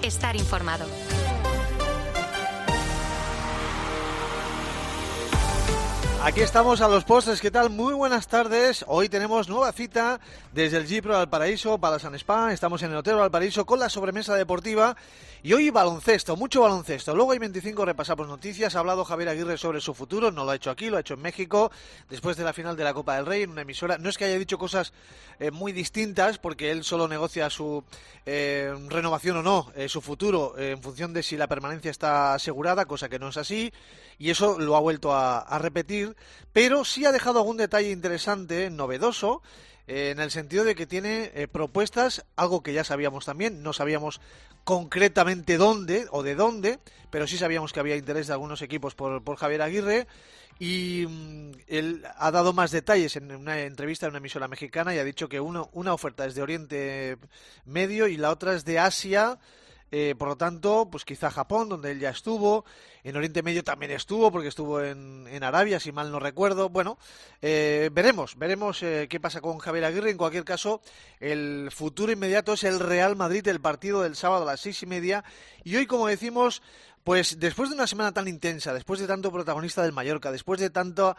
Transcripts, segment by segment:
estar informado. Aquí estamos a los postres, ¿qué tal? Muy buenas tardes. Hoy tenemos nueva cita desde el Gipro Valparaíso, Palasan Spa. Estamos en el Hotel Valparaíso con la sobremesa deportiva. Y hoy baloncesto, mucho baloncesto. Luego hay 25, repasamos noticias. Ha hablado Javier Aguirre sobre su futuro, no lo ha hecho aquí, lo ha hecho en México, después de la final de la Copa del Rey, en una emisora. No es que haya dicho cosas muy distintas, porque él solo negocia su renovación o no, su futuro, en función de si la permanencia está asegurada, cosa que no es así. Y eso lo ha vuelto a repetir, pero sí ha dejado algún detalle interesante, novedoso, en el sentido de que tiene propuestas, algo que ya sabíamos también, no sabíamos concretamente dónde o de dónde, pero sí sabíamos que había interés de algunos equipos por Javier Aguirre, y él ha dado más detalles en una entrevista en una emisora mexicana y ha dicho que una oferta es de Oriente Medio y la otra es de Asia. Por lo tanto, pues quizá Japón, donde él ya estuvo, en Oriente Medio también estuvo, porque estuvo en Arabia, si mal no recuerdo. Bueno, veremos qué pasa con Javier Aguirre. En cualquier caso, el futuro inmediato es el Real Madrid, el partido del sábado a las 6:30. Y hoy, como decimos, pues después de una semana tan intensa, después de tanto protagonista del Mallorca, después de tanta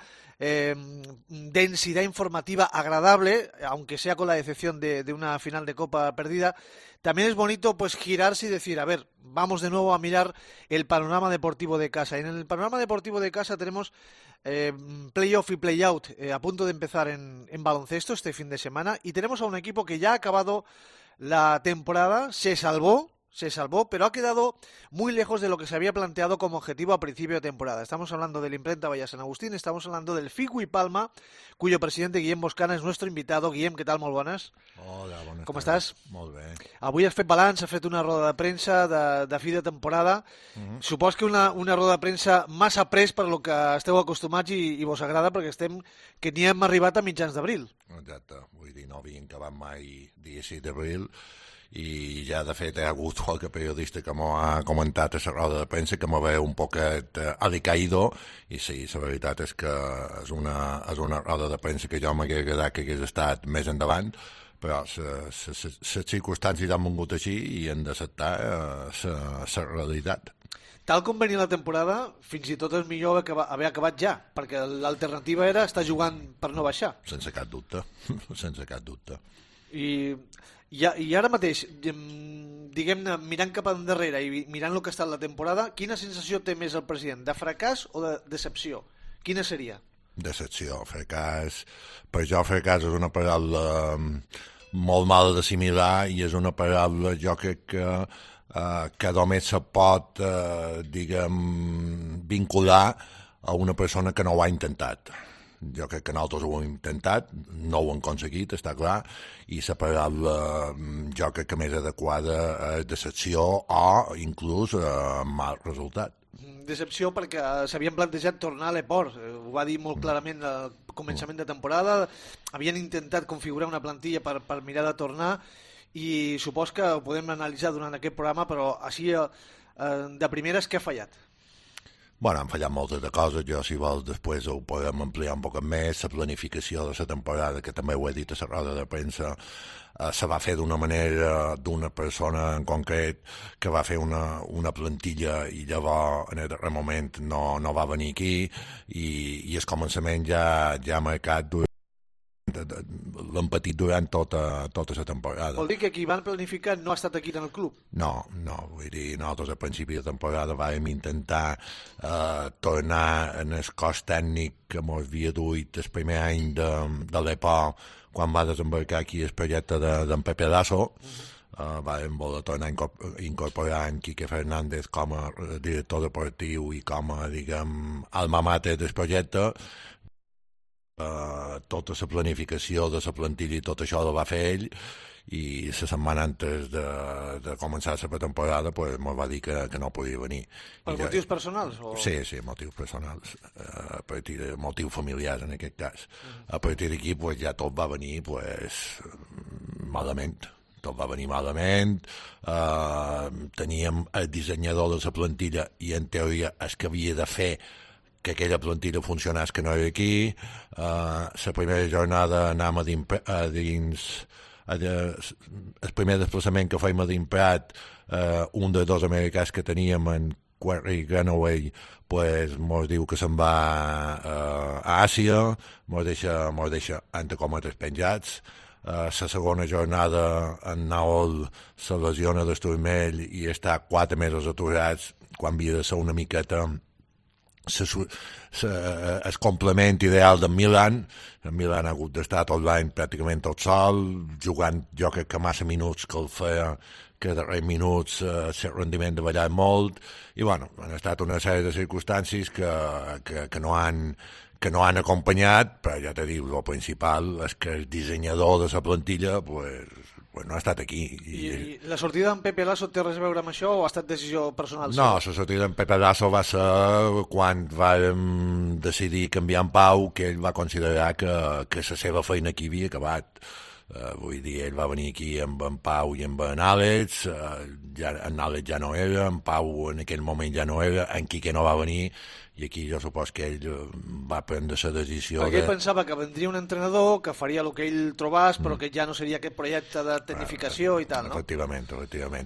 densidad informativa agradable, aunque sea con la decepción de una final de Copa perdida, también es bonito pues girarse y decir, a ver, vamos de nuevo a mirar el panorama deportivo de casa. Y en el panorama deportivo de casa tenemos playoff y playout a punto de empezar en baloncesto este fin de semana, y tenemos a un equipo que ya ha acabado la temporada, se salvó, pero ha quedado muy lejos de lo que se había planteado como objetivo a principio de temporada. Estamos hablando del Imprenta Valla Sant Agustín, estamos hablando del Figui Palma, cuyo presidente Guillem Boscana és nuestro invitado. Guillem, què tal? Molt bones. Hola, bones. Com estàs? Molt bé. Avui has fet balanç, has fet una roda de premsa de fi de temporada. Supos que una roda de premsa massa pres per lo que esteu acostumats i vos agrada, perquè que ni hem arribat a mitjans d'abril. Exacte, vull dir, no havíem acabat mai dia 6 d'abril, i ja de fet hi ha hagut qualque periodista que m'ho ha comentat a la roda de premsa que m'ho veu un poquet alicaído, i sí, la veritat és que és una roda de premsa que jo m'hagués agradat que hagués estat més endavant, però les circumstàncies han vingut així i hem d'acceptar la realitat. Tal com venia la temporada, fins i tot és millor haver acabat ja, perquè l'alternativa era estar jugant per no baixar. Sense cap dubte, sense cap dubte. I ara mateix, diguem-ne, mirant cap endarrere i mirant el que ha estat la temporada, quina sensació té més el president? De fracàs o de decepció? Quina seria? Decepció, fracàs. Per jo fracàs és una paraula molt mala d'assimilar i és una paraula, jo crec que només se pot, vincular a una persona que no ho ha intentat. Jo crec que nosaltres ho hem intentat, no ho hem aconseguit, està clar, i la paraula jo crec que més adequada és decepció o inclús mal resultat. Decepció perquè s'havien plantejat tornar a l'Eport, ho va dir molt clarament al començament de temporada, havien intentat configurar una plantilla per mirar de tornar, i supos que ho podem analitzar durant aquest programa, però així de primeres, què ha fallat? Bueno, han fallat moltes de coses, jo si vols després ho podem ampliar un poc més, la planificació de la temporada, que també ho he dit a la roda de premsa, se va fer d'una manera, d'una persona en concret que va fer una plantilla i llavors en el darrer moment no va venir aquí i el començament ja ha marcat l'hem patit durant tota la temporada. Vol dir que qui van planificar no ha estat aquí en el club? No, vull dir, nosaltres al principi de temporada vam intentar tornar en el cos tècnic que ens havia duit el primer any de l'EPO quan va desembarcar aquí el projecte d'en Pepe Lasso. Vam voler tornar a incorporar en Quique Fernández com a director deportiu i com a, diguem, alma mater del projecte. Tota la planificació de la plantilla i tot això ho va fer ell, i la setmana antes de començar la pretemporada pues, ens va dir que no podia venir. Per motius personals? O... Sí, motius personals, a partir de motius familiars en aquest cas. A partir d'aquí pues, ja tot va venir pues, malament. Tot va venir malament, teníem el dissenyador de la plantilla i en teoria el que havia de fer que aquella plantilla funcionés, que no era aquí. La primera jornada anàvem a dins el primer desplaçament que fèiem a l'Imprat, un dels dos americans que teníem, en Quarry Granaway, pues, mos diu que se'n va a Àsia, mos deixa entre cometes penjats. La segona jornada en Naol se lesiona del turmell i està 4 mesos aturats, quan havia de ser una miqueta el complement ideal d'en Milan. En Milan ha hagut d'estar tot l'any pràcticament tot sol, jugant jo crec que massa minuts que el feia, que darrers minuts el rendiment de ballar molt, i bueno, han estat una sèrie de circumstàncies que no han acompanyat, però ja te dic, el principal és que el dissenyador de la plantilla pues no ha estat aquí. I la sortida d'en Pepe Lasso té res a veure amb això o ha estat decisió personal? No, la sortida d'en Pepe Lasso va ser quan vam decidir canviar en Pau, que ell va considerar que la seva feina aquí havia acabat. Vull dir, ell va venir aquí amb en Pau i amb en Àlex, en Àlex ja no era, en Pau en aquell moment ja no era, en Quique no va venir, i aquí jo supos que ell va prendre la decisió perquè ell pensava que vendria un entrenador que faria el que ell trobàs, però que ja no seria aquest projecte de tecnificació i tal, no? Efectivament,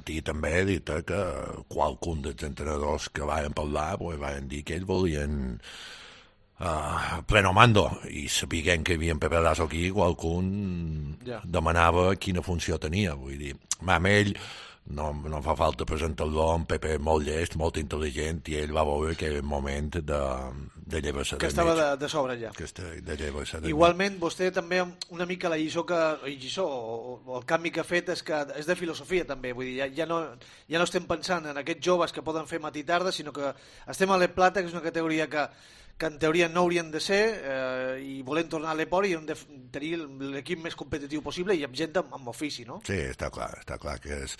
i també he dit que qualcun dels entrenadors que van parlar van dir que ells volien pleno mando, i sapiguem que hi havia en Pepe Lasso aquí, qualcun demanava quina funció tenia. Vull dir, amb ell no fa falta presentar-lo, en Pepe és molt llest, molt intel·ligent, i ell va veure que era el moment de llevar-se que estava de sobre ja. De llevar-se de igualment, vostè també una mica la lliçó o el canvi que ha fet és que és de filosofia també, vull dir, ja no estem pensant en aquests joves que poden fer matí i tarda, sinó que estem a l'E Plata, que és una categoria que en teoria no haurien de ser, i volem tornar a l'Eport i hem de tenir l'equip més competitiu possible i amb gent amb ofici, no? Sí, està clar que és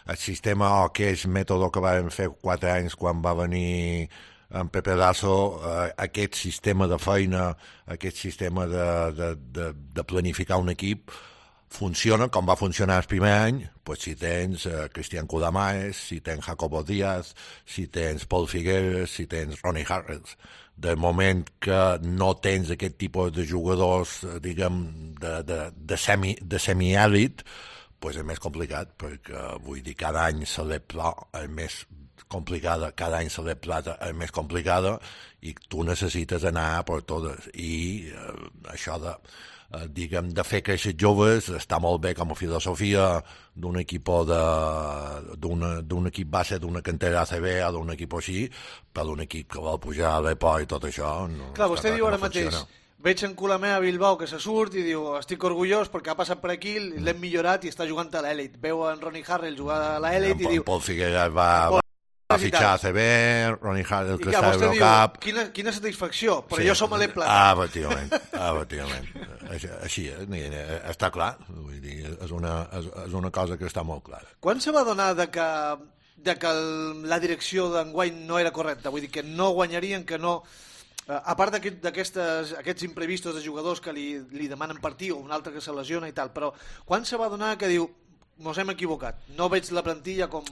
el sistema o que és mètode que vam fer 4 anys quan va venir en Pepe Lasso, aquest sistema de feina, aquest sistema de planificar un equip funciona com va funcionar el primer any, pues si tens Cristian Cudamaes, si tens Jacobo Díaz, si tens Paul Figueres, si tens Ronnie Harrells. Del moment que no tens aquest tipus de jugadors, diguem, de semi-èlit, pues és més complicat, perquè vull dir, cada any se l'E Plata és més complicada, és més complicada, i tu necessites anar per totes, i això de fer créixer joves està molt bé com a filosofia d'un equip base d'una cantera ACB o d'un equip així, però d'un equip que vol pujar a l'Eport i tot això no. Clar, vostè diu ara mateix, veig en Colomer a Bilbao que se surt i diu estic orgullós perquè ha passat per aquí, l'hem millorat i està jugant a l'Elit. Veu en Ronnie Harrell jugar a l'Elit i diu... Paul Figueres va fitxar a CB, Ronnie Harrell que està a cap... Quina satisfacció, però jo som a l'E Plata. Efectivament. Així està clar, vull dir, és una cosa que està molt clara. Quan se va donar de que la direcció d'enguany no era correcta? Vull dir, que no guanyarien, que no... A part d'aquests imprevistos de jugadors que li demanen partir o un altre que se lesiona i tal, però quan se va donar que diu mos hem equivocat, no veig la plantilla com...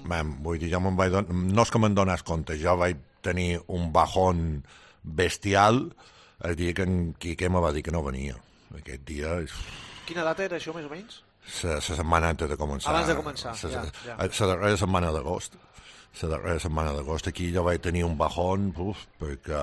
Vull dir, no és que me'n dones compte, jo vaig tenir un bajón bestial el dia que en Quique me va dir que no venia. Aquest dia... Quina data era això, més o menys? La setmana antes de començar. Abans de començar, la darrera setmana d'agost. Aquí jo vaig tenir un bajón, perquè,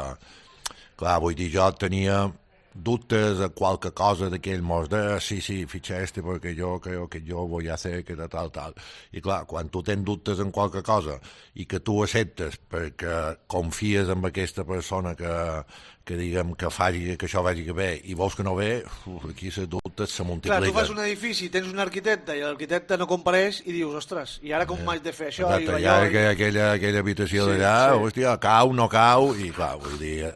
clar, vull dir, jo tenia dubtes a qualque cosa d'aquell mos de sí, fitxa perquè jo creo que yo voy a hacer que tal. I clar, quan tu tens dubtes en qualque cosa i que tu acceptes perquè confies en aquesta persona que diguem que faci que això vagi bé i vols que no ve, aquí les dubtes se multipliquen. Clar, tu fas un edifici, tens un arquitecte i l'arquitecte no compareix i dius, ostres, i ara com m'haig de fer això? Exacte, i ara aquella habitació d'allà, hòstia, cau, no cau, i clar, vull dir...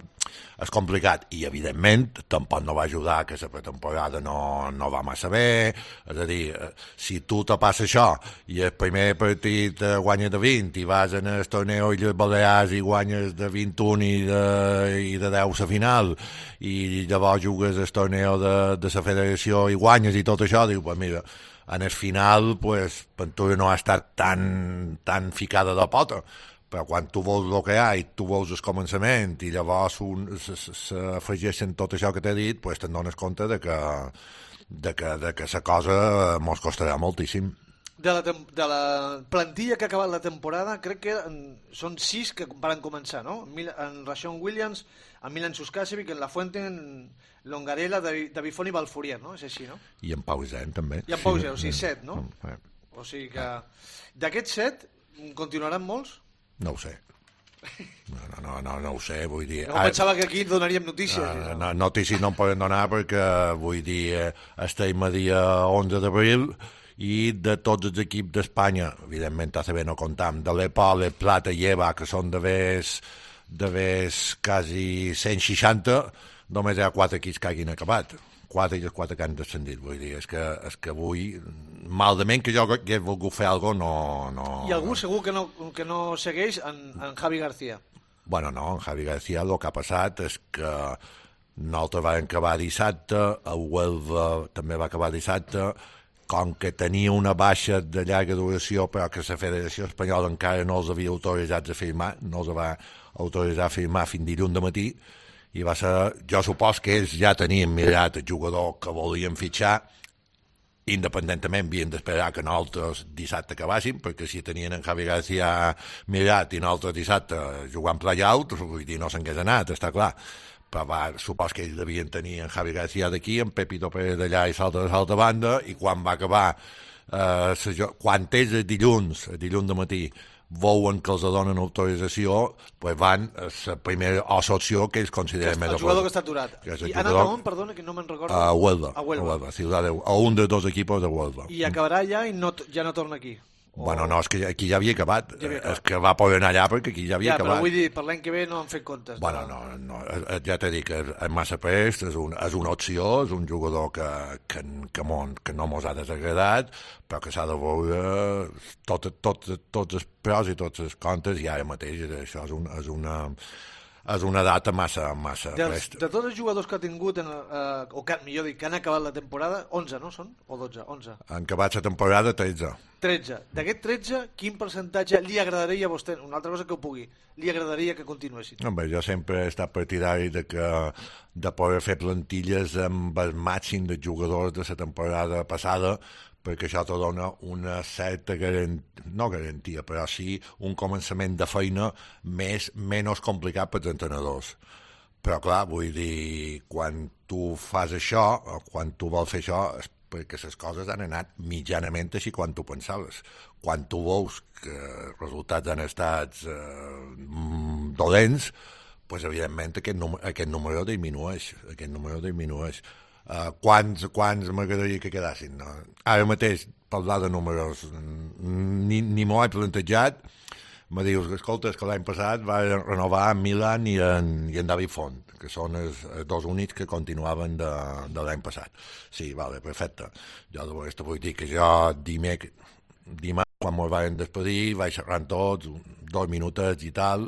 És complicat, i evidentment tampoc no va ajudar que la pretemporada no va massa bé, és a dir, si tu te passa això i el primer partit guanyes de 20 i vas en el torneo i les Balears i guanyes de 21 i de 10 a final i llavors jugues el torneo de la federació i guanyes i tot això, diu, pues mira, en el final pues, per tu no ha estat tan ficada de pota, però quan tu veus el que hi ha i tu veus el començament i llavors s'afegeixen tot això que t'he dit, pues te'n dones compte de que la cosa mos costarà moltíssim. De la plantilla que ha acabat la temporada, crec que són 6 que van començar, no? En Rashawn Williams, en Milan Suskasevic, en La Fuente, en Longarella, David Font i Balfourier, no? És així, no? I en Pau Zen, també. I en Pau Zen, o sigui, 7, no? O sigui que... D'aquests 7, continuaran molts? No ho sé. No ho sé, vull dir... No pensava que aquí donaríem notícies. Notícies no en poden donar perquè, vull dir, estem a dia 11 d'abril i de tots els equips d'Espanya, evidentment ACB no comptam, de l'EPOL, el Plata i EVA, que són de ves quasi 160, només hi ha 4 equips que hagin acabat. 4 i els 4 que han descendit, vull dir, és que avui, malament que jo hagués volgut fer alguna cosa, no... I algú segur que no segueix en Javi García. Bueno, no, en Javi García el que ha passat és que nosaltres vam acabar dissabte, el Huelva també va acabar dissabte, com que tenia una baixa de llarga duració però que la Federació Espanyola encara no els havia autoritzat a firmar, no els va autoritzar a firmar fins dilluns de matí, i va ser, jo supos que ells ja tenien mirat el jugador que volien fitxar, independentment havien d'esperar que nosaltres dissabte acabàssim, perquè si tenien en Javi García mirat i nosaltres dissabte jugant play-out, vull dir, no s'hagués anat, està clar. Però supos que ells devien tenir en Javi García d'aquí, en Pepito Pérez d'allà i salta de l'altra banda, i quan va acabar, quan és el dilluns de matí, veuen que els donen autorització, pues van a la primera opció que ells consideren més el jugador que està aturat. I ha anat a on, perdona, que no me'n recordo? A Huelva. A un dels 2 equipos de Huelva. I acabarà allà i ja no torna aquí? Bueno, no, és que aquí ja havia acabat. És que va poder anar allà perquè aquí ja havia acabat. Però vull dir, per l'any que ve no han fet comptes. Bueno, no, ja t'he dit que és massa prest, és una opció, és un jugador que no mos ha desagradat, però que s'ha de veure tots els pros i tots els contes, i ara mateix això és una data massa presta. De tots els jugadors que ha tingut, millor dit, que han acabat la temporada, 11, no són? O 12? 11. Han acabat la temporada 13. 13. D'aquest 13, quin percentatge li agradaria a vostè, una altra cosa que ho pugui, li agradaria que continuessin? Home, jo sempre he estat partidari de poder fer plantilles amb el màxim de jugadors de la temporada passada, perquè això te dona una certa no garantia, però sí un començament de feina menys complicat pels entrenadors. Però clar, vull dir, quan tu fas això, o quan tu vols fer això, és perquè les coses han anat mitjanament així quan tu pensaves. Quan tu veus que els resultats han estat dolents, doncs evidentment aquest número disminueix. Quants m'agradaria que quedassin? No? Ara mateix, parlar de números, ni m'ho he plantejat. Me dius, escolta, que l'any passat va renovar en Milan i en David Font, que són els 2 únics que continuaven de l'any passat. Sí, vale, perfecte. Jo llavors vull dir que jo dimarts, quan m'ho van despedir, vaig xerrant tots, 2 minutets i tal,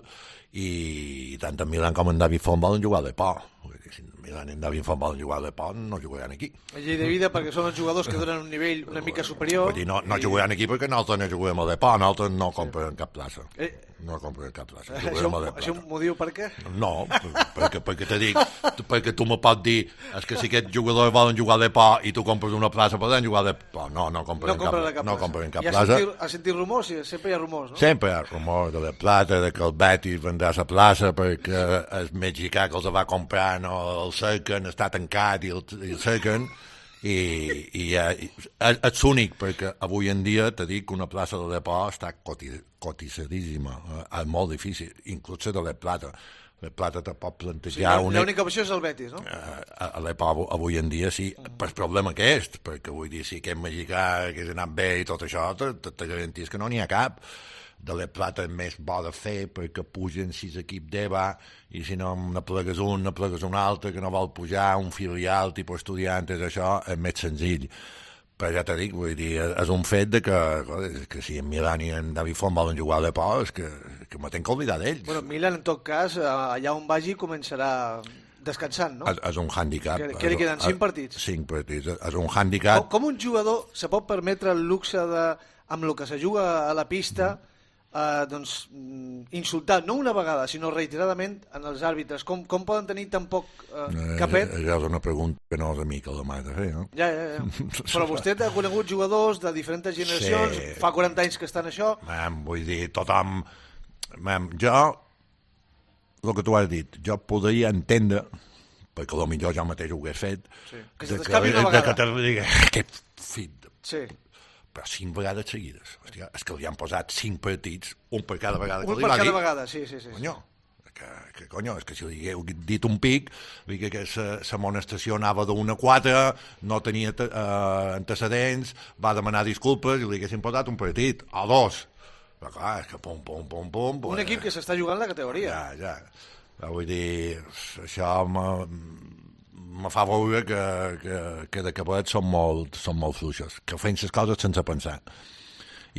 i tant en Milan com en David Font volen jugar de por. Si Milan i en David Font volen jugar de por, no jugaran aquí. La llei de vida, perquè són els jugadors que donen un nivell una mica superior. Vull dir, no jugaran aquí perquè nosaltres no juguem a de por, nosaltres no comprem cap plaça. No comprem cap plaça. Això m'ho diu per què? No, perquè te dic, perquè tu me pots dir, és que si aquests jugadors volen jugar de por i tu compres una plaça, poden jugar de por. No comprem cap plaça. Has sentit rumors? Sempre hi ha rumors, no? Sempre hi ha rumors de la plata, de que el Betis vendrà a la plaça perquè el mexicà que els va comprar no el cerquen, està tancat i el cerquen, i és únic perquè avui en dia te dic que una plaça de depòsit està cotitzadíssima, és molt difícil, inclús de la plata. La plata te pot plantejar... L'única opció és el Betis, no? A l'EPO avui en dia sí, per problema que és, perquè vull dir, si aquest mexicà hagués anat bé i tot això, te garanties que no n'hi ha cap. De la plata és més bo de fer perquè pugen 6 equips d'EVA i si no ne plegues un altre que no vol pujar, un filial tipus estudiantes, això és més senzill. Però ja t'ho dic, vull dir, és un fet de que si en Milan i en David Font volen jugar a l'EPO és que me tenc que oblidar d'ells. Bueno, Milan, en tot cas, allà on vagi començarà descansant, no? És un hàndicap. Que li queden 5 partits. 5 partits, és un hàndicap. Com un jugador se pot permetre el luxe de, amb el que se juga a la pista, insultar, no una vegada, sinó reiteradament en els àrbitres? Com poden tenir tan poc capet? És una pregunta que no és a mi que l'ha de fer, no? Ja. Però vostè ha conegut jugadors de diferents generacions, sí. Fa 40 anys que estan això. Vull dir, tothom... Jo, el que tu has dit, jo podria entendre, perquè potser jo mateix ho hagués fet, sí. Que se t'escapi una vegada. Que te digui, aquest fill de... Sí. Però 5 vegades seguides. Hòstia, és que li han posat 5 partits, un per cada vegada que li va dir. Un per cada vegada, sí. Conyo, és que si li hagueu dit un pic, vull dir que l'amonestació anava d'1 a 4, no tenia antecedents, va demanar disculpes i li haguessin posat un partit, o 2. Però clar, és que pum. Un equip que s'està jugant la categoria. Ja. Vull dir, això me fa veure que de cabet són molt fluixos, que feien les coses sense pensar.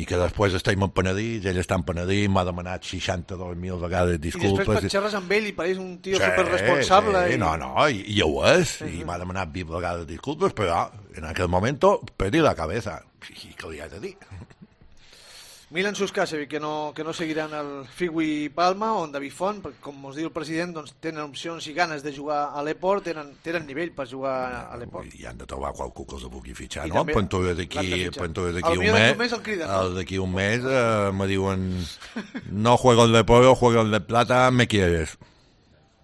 I que després estem penedits, ell està penedit, m'ha demanat 62.000 vegades disculpes. I després xerres amb ell i pareix un tio superresponsable. Sí, i ho és, i m'ha demanat 20 vegades disculpes, però en aquell moment perdí la cabeza. I què li has de dir? Milan Suskasevic, que no seguiran el Figui Palma, on David Font, perquè com us diu el president, doncs, tenen opcions i ganes de jugar a l'Eport, tenen nivell per jugar a l'Eport. I han de trobar qualcú que els pugui fitxar, I no? Pentura d'aquí un mes me diuen no juego el de pollo, juego el de plata, me quieres.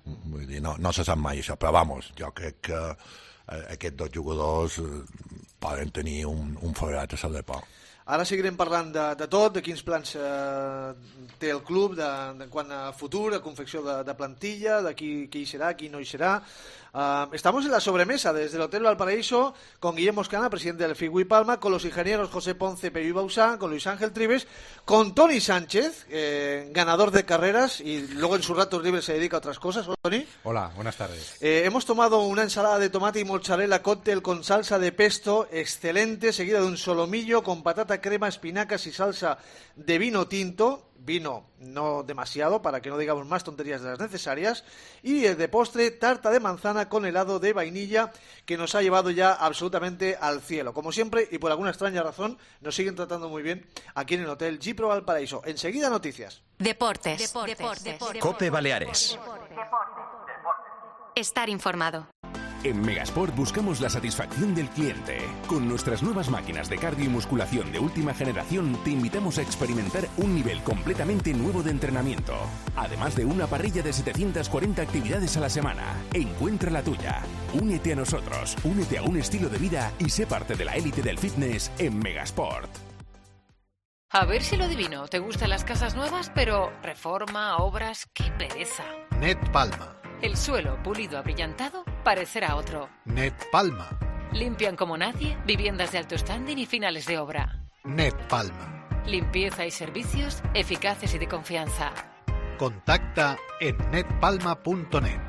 Vull dir, no se sap mai això, però vamos, jo crec que aquests dos jugadors poden tenir un forat a l'Eport. Ara seguirem parlant de tot, de quins plans té el club, de quant a futur, a confecció de plantilla, de qui hi serà, qui no hi serà. Estamos en la sobremesa desde el Hotel Valparaíso con Guillermo Oscana, presidente del Figui Palma, con los ingenieros José Ponce, Peyu Bausá, con Luis Ángel Trives, con Toni Sánchez, ganador de carreras y luego en sus ratos libres se dedica a otras cosas. Hola, Toni. Hola, buenas tardes. Hemos tomado una ensalada de tomate y mozzarella cóctel con salsa de pesto excelente, seguida de un solomillo con patata, crema, espinacas y salsa de vino tinto. Vino no demasiado, para que no digamos más tonterías de las necesarias, y de postre tarta de manzana con helado de vainilla, que nos ha llevado ya absolutamente al cielo. Como siempre, y por alguna extraña razón, nos siguen tratando muy bien aquí en el Hotel Gipro Valparaíso. Enseguida noticias. Deportes. COPE Baleares. Estar informado. En Megasport buscamos la satisfacción del cliente. Con nuestras nuevas máquinas de cardio y musculación de última generación, te invitamos a experimentar un nivel completamente nuevo de entrenamiento. Además de una parrilla de 740 actividades a la semana. Encuentra la tuya. Únete a nosotros, únete a un estilo de vida y sé parte de la élite del fitness en Megasport. A ver si lo adivino. ¿Te gustan las casas nuevas? Pero reforma, obras, qué pereza. Net Palma. El suelo pulido abrillantado parecerá otro. Net Palma. Limpian como nadie, viviendas de alto standing y finales de obra. Net Palma. Limpieza y servicios eficaces y de confianza. Contacta en netpalma.net.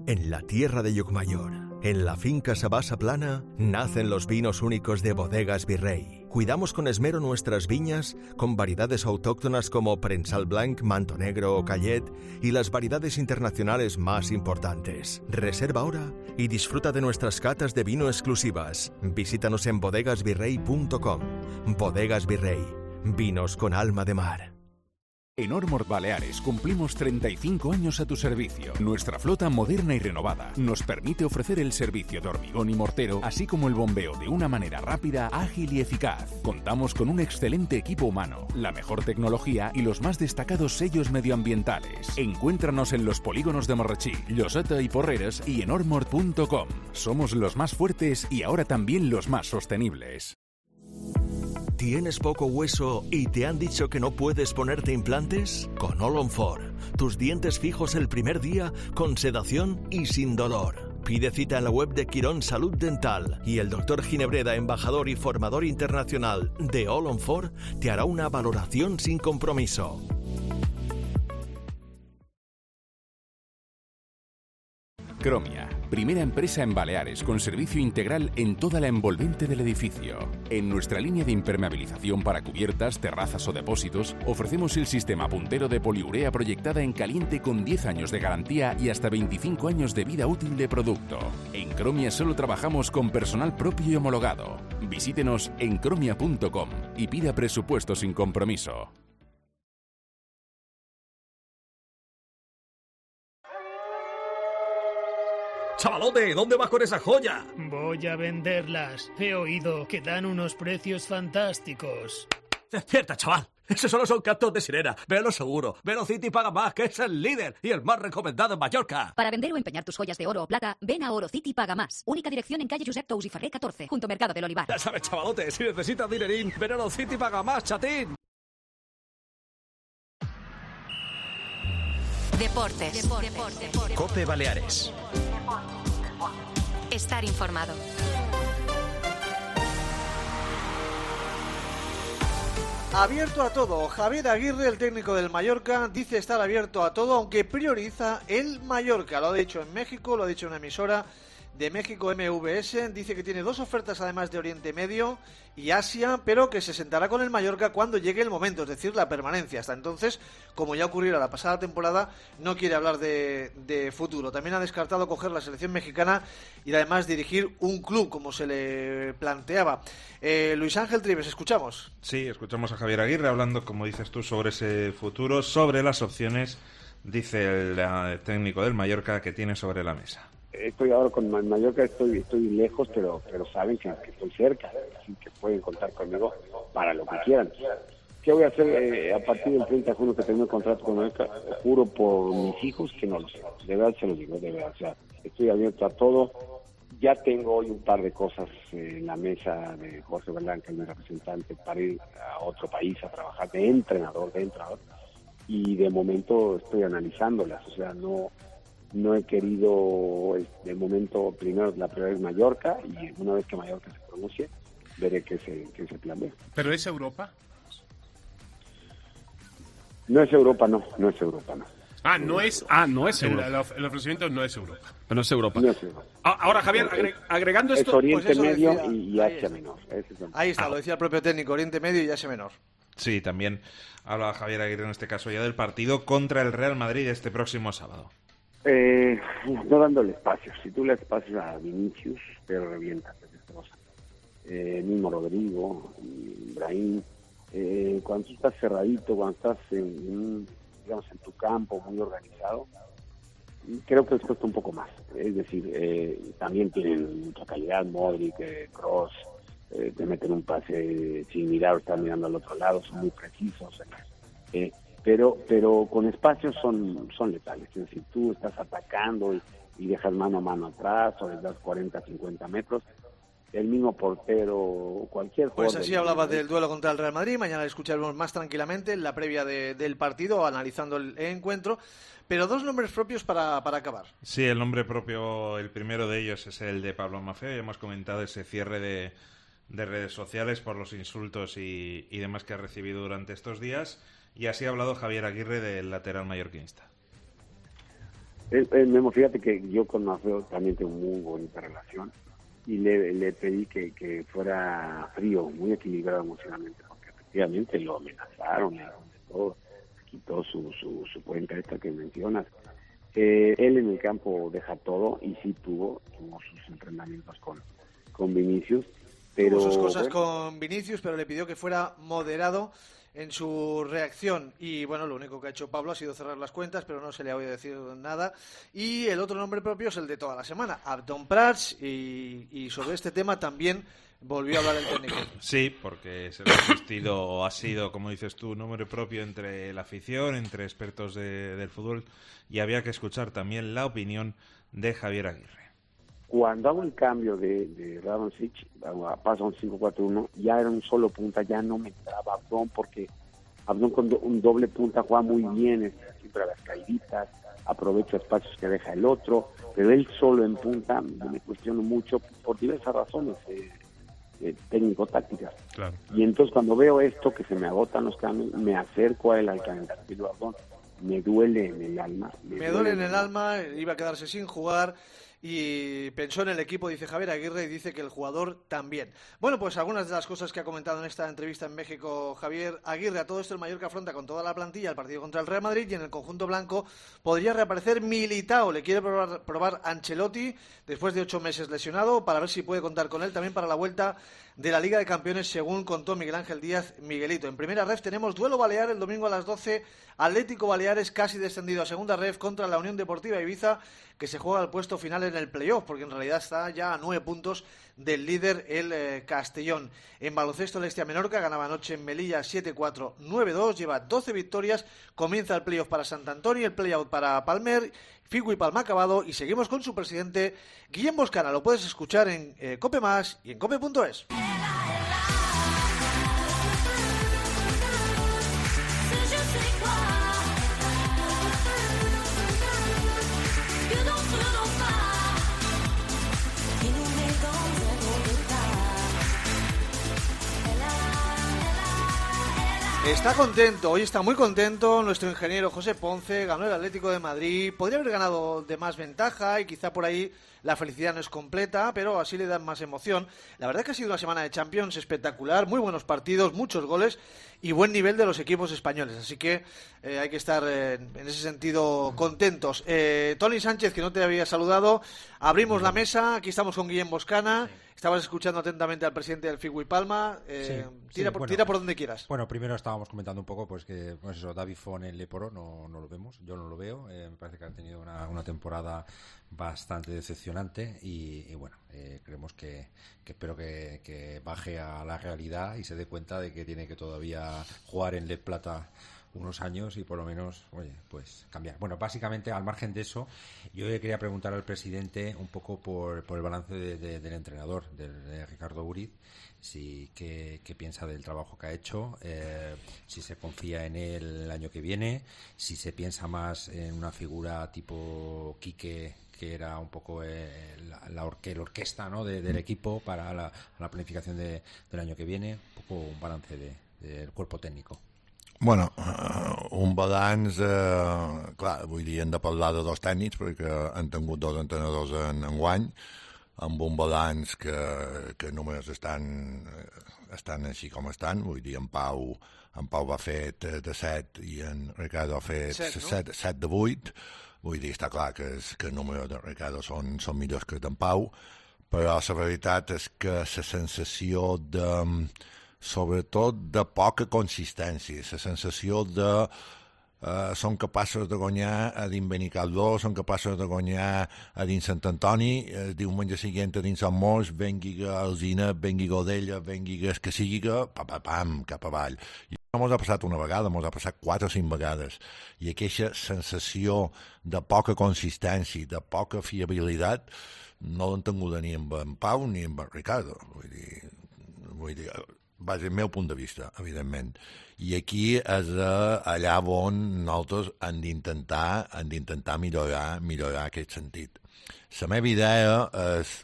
En la tierra de Llucmayor, en la finca Sabasa Plana, nacen los vinos únicos de Bodegas Virrey. Cuidamos con esmero nuestras viñas, con variedades autóctonas como Prensal Blanc, Manto Negro o Callet, y las variedades internacionales más importantes. Reserva ahora y disfruta de nuestras catas de vino exclusivas. Visítanos en bodegasvirrey.com. Bodegas Virrey, vinos con alma de mar. En Ormord Baleares cumplimos 35 años a tu servicio. Nuestra flota moderna y renovada nos permite ofrecer el servicio de hormigón y mortero, así como el bombeo de una manera rápida, ágil y eficaz. Contamos con un excelente equipo humano, la mejor tecnología y los más destacados sellos medioambientales. Encuéntranos en los polígonos de Morrachí, Lloseta y Porreres y en ormord.com. Somos los más fuertes y ahora también los más sostenibles. ¿Tienes poco hueso y te han dicho que no puedes ponerte implantes? Con All on 4, tus dientes fijos el primer día con sedación y sin dolor. Pide cita en la web de Quirón Salud Dental y el Dr. Ginebreda, embajador y formador internacional de All on 4, te hará una valoración sin compromiso. Cromia, primera empresa en Baleares con servicio integral en toda la envolvente del edificio. En nuestra línea de impermeabilización para cubiertas, terrazas o depósitos, ofrecemos el sistema puntero de poliurea proyectada en caliente con 10 años de garantía y hasta 25 años de vida útil de producto. En Cromia solo trabajamos con personal propio y homologado. Visítenos en cromia.com y pida presupuesto sin compromiso. ¡Chavalote! ¿Dónde vas con esa joya? Voy a venderlas. He oído que dan unos precios fantásticos. Despierta, chaval. Esos solo son cantos de sirena. Velo seguro. Velocity paga más, que es el líder y el más recomendado en Mallorca. Para vender o empeñar tus joyas de oro o plata, ven a Orocity Paga Más. Única dirección en calle Josep Tous y Ferrer 14, junto Mercado del Olivar. Ya sabes, chavalote, si necesitas dinerín, ven a Orocity Paga Más, chatín. Deportes. COPE Baleares. Estar informado. Abierto a todo. Javier Aguirre, el técnico del Mallorca, dice estar abierto a todo, aunque prioriza el Mallorca. Lo ha dicho en México, lo ha dicho en una emisora de México, MVS. Dice que tiene 2 ofertas además de Oriente Medio y Asia, pero que se sentará con el Mallorca cuando llegue el momento, es decir, la permanencia. Hasta entonces, como ya ocurrió la pasada temporada, no quiere hablar de futuro. También ha descartado coger la selección mexicana y además dirigir un club, como se le planteaba. Luis Ángel Trives, ¿escuchamos? Sí, escuchamos a Javier Aguirre hablando, como dices tú, sobre ese futuro, sobre las opciones, dice el técnico del Mallorca, que tiene sobre la mesa. Estoy ahora con Mallorca, estoy lejos, pero saben que estoy cerca, así que pueden contar conmigo para lo que quieran. ¿Qué voy a hacer a partir del 30 de junio que tengo el contrato con Mallorca? Juro por mis hijos que no lo sé, de verdad se lo digo, de verdad. O sea, estoy abierto a todo. Ya tengo hoy un par de cosas en la mesa de Jorge Berlán, que es mi representante, para ir a otro país a trabajar de entrenador, y de momento estoy analizándolas, o sea, no he querido, de momento, primero la prioridad es Mallorca, y una vez que Mallorca se pronuncie, veré qué se plantea. ¿Pero es Europa? No es Europa, no es Europa, no. No es Europa. El ofrecimiento no es Europa. No es Europa. No es Europa. Ahora, Javier, agregando esto... Es Oriente pues Medio decía, y Asia Menor. Ahí está, lo decía el propio técnico, Oriente Medio y Asia Menor. Sí, también habla Javier Aguirre en este caso ya del partido contra el Real Madrid este próximo sábado. No dándole espacio. Si tú le espacios a Vinicius, pero revienta, mismo Rodrigo, Ibrahim, cuando tú estás cerradito, cuando estás en tu campo muy organizado, creo que les cuesta un poco más. Es decir, también tienen mucha calidad, Modric, Kroos, te meten un pase sin mirar o estar mirando al otro lado, son muy precisos. Pero con espacios son letales. Es decir, tú estás atacando y dejas mano a mano atrás o les das 40, 50 metros. El mismo portero, cualquier jugador. Pues así hablaba del duelo contra el Real Madrid. Mañana le escucharemos más tranquilamente en la previa del partido, analizando el encuentro. Pero 2 nombres propios para acabar. Sí, el nombre propio, el primero de ellos es el de Pablo Maffeo. Ya hemos comentado ese cierre de redes sociales por los insultos y demás que ha recibido durante estos días. Y así ha hablado Javier Aguirre del lateral mallorquinista. Memo, fíjate que yo con Maffeo también tengo muy bonita relación. Y le pedí que fuera frío, muy equilibrado emocionalmente, porque efectivamente lo amenazaron, todo, quitó su cuenta esta que mencionas. Él en el campo deja todo y sí tuvo sus entrenamientos con Vinicius. Pero tuvo sus cosas con Vinicius, pero le pidió que fuera moderado en su reacción. Y bueno, lo único que ha hecho Pablo ha sido cerrar las cuentas, pero no se le ha oído decir nada. Y el otro nombre propio es el de toda la semana, Abdon Prats, y sobre este tema también volvió a hablar el técnico. Sí, porque se ha sido, como dices tú, nombre propio entre la afición, entre expertos del fútbol, y había que escuchar también la opinión de Javier Aguirre. Cuando hago el cambio de Radonjic, paso a un 5-4-1, ya era un solo punta, ya no me entraba Abdon, porque Abdon con un doble punta juega muy bien, siempre a las caíditas, aprovecha espacios que deja el otro, pero él solo en punta me cuestiono mucho por diversas razones técnico-tácticas. Claro. Y entonces cuando veo esto, que se me agotan los cambios, me acerco a él al calendario Abdon, me duele en el alma. Me duele en el alma, iba a quedarse sin jugar. y pensó en el equipo, dice Javier Aguirre, y dice que el jugador también. Bueno, pues algunas de las cosas que ha comentado en esta entrevista en México Javier Aguirre. A todo esto el Mallorca afronta con toda la plantilla el partido contra el Real Madrid, y en el conjunto blanco podría reaparecer Militao. Le quiere probar Ancelotti después de 8 meses lesionado, para ver si puede contar con él también para la vuelta de la Liga de Campeones, según contó Miguel Ángel Díaz Miguelito. En primera ref tenemos duelo balear el domingo a las 12, Atlético Baleares casi descendido a segunda ref contra la Unión Deportiva Ibiza, que se juega el puesto final en el playoff, porque en realidad está ya a 9 puntos del líder, el Castellón. En baloncesto, el Estia Menorca ganaba anoche en Melilla 7-4, 9-2, lleva 12 victorias, comienza el playoff para Sant Antoni, el playout para Palmer, Figu y Palma acabado, y seguimos con su presidente Guillem Boscana. Lo puedes escuchar en Cope Más y en cope.es. Está contento, hoy está muy contento nuestro ingeniero José Ponce. Ganó el Atlético de Madrid, podría haber ganado de más ventaja y quizá por ahí la felicidad no es completa, pero así le dan más emoción. La verdad es que ha sido una semana de Champions espectacular, muy buenos partidos, muchos goles y buen nivel de los equipos españoles, así que hay que estar en ese sentido contentos. Tony Sánchez, que no te había saludado, abrimos la mesa, aquí estamos con Guillem Boscana. Estabas escuchando atentamente al presidente del Figu y Palma. Tira por donde quieras. Bueno, primero estábamos comentando un poco pues que David Fon en Leporo no lo vemos, yo no lo veo. Me parece que ha tenido una temporada bastante decepcionante y bueno, creemos que espero que baje a la realidad y se dé cuenta de que tiene que todavía jugar en Le Plata unos años y por lo menos, pues cambiar. Bueno, básicamente, al margen de eso, yo le quería preguntar al presidente un poco por el balance del entrenador, de Ricardo Uriz, qué piensa del trabajo que ha hecho, si se confía en él el año que viene, si se piensa más en una figura tipo Quique, que era un poco la orquesta, ¿no?, del equipo para la planificación del año que viene, un poco un balance del cuerpo técnico. Bueno, un balanç, clar, vull dir, hem de parlar de dos tècnics perquè han tingut dos entrenadors en guany, amb un balanç que només estan així com estan, vull dir, en Pau va fer 3 de 7 i en Ricardo ha fet 7 de 8, vull dir, està clar que els números de Ricardo són millors que d'en Pau, però la veritat és que la sensació sobretot de poca consistència, la sensació de són capaços de guanyar a dins Benicarló, són capaços de guanyar a dins Sant Antoni, el diumenge següent a dins Sant Mos, vengui Alzina, vengui Godella, vengui el que sigui, pam, cap avall. I no mos ha passat una vegada, mos ha passat 4 o 5 vegades. I aquesta sensació de poca consistència, de poca fiabilitat, no l'han tingut ni amb en Pau ni amb en Ricardo. Vull dir, va ser el meu punt de vista, evidentment. I aquí és allà on nosaltres hem d'intentar millorar aquest sentit. La meva idea és,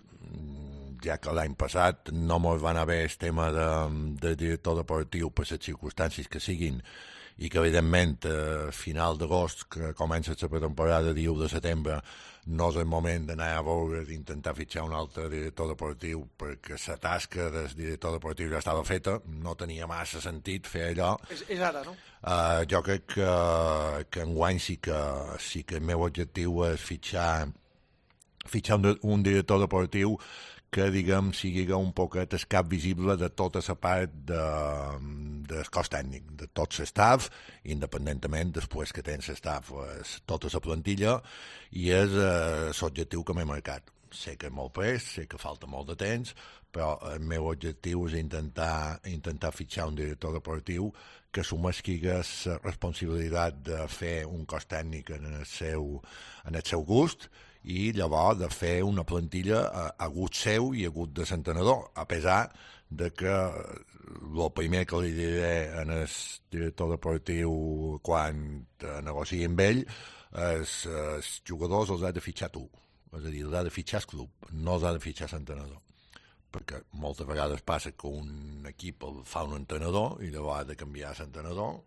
ja que l'any passat no ens va anar bé el tema de director deportiu per les circumstàncies que siguin, i que evidentment a final d'agost, que comença la pretemporada el 1 de setembre, no és el moment d'anar a veure d'intentar fitxar un altre director deportiu perquè la tasca del director deportiu ja estava feta, no tenia massa sentit fer allò. És ara, no? Jo crec que enguany sí que el meu objectiu és fitxar un director deportiu que, diguem, sigui un poquet el cap visible de tota la part del cos tècnic, de tot l'estaf, independentment després que tens l'estaf, tota la plantilla, i és l'objectiu que m'he marcat. Sé que és molt pres, sé que falta molt de temps, però el meu objectiu és intentar fitxar un director deportiu que assumeixi la responsabilitat de fer un cos tècnic en el seu gust, i llavors de fer una plantilla a gust seu i a gust de l'entrenador, a pesar de que el primer que li diré en el director deportiu quan negoci amb ell és els jugadors els ha de fitxar tu, és a dir, els ha de fitxar el club, no els ha de fitxar l'entrenador, perquè moltes vegades passa que un equip fa un entrenador i llavors ha de canviar l'entrenador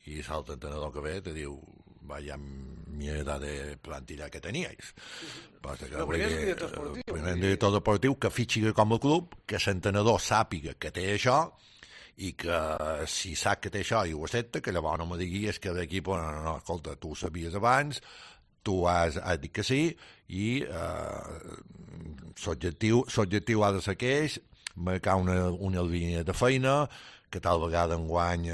i l'altre entrenador que ve te diu vaya mierda de plantilla que teníais. Lo primer és director esportiu. El primer director deportiu que fitxi com a club, que l'entrenador sàpiga que té això, i que si sap que té això i ho accepta, que llavors no me diguis que l'equip, no, escolta, tu ho sabies abans, tu has dit que sí, i l'objectiu ha de ser aquell, marcar una línia de feina, que tal vegada enguany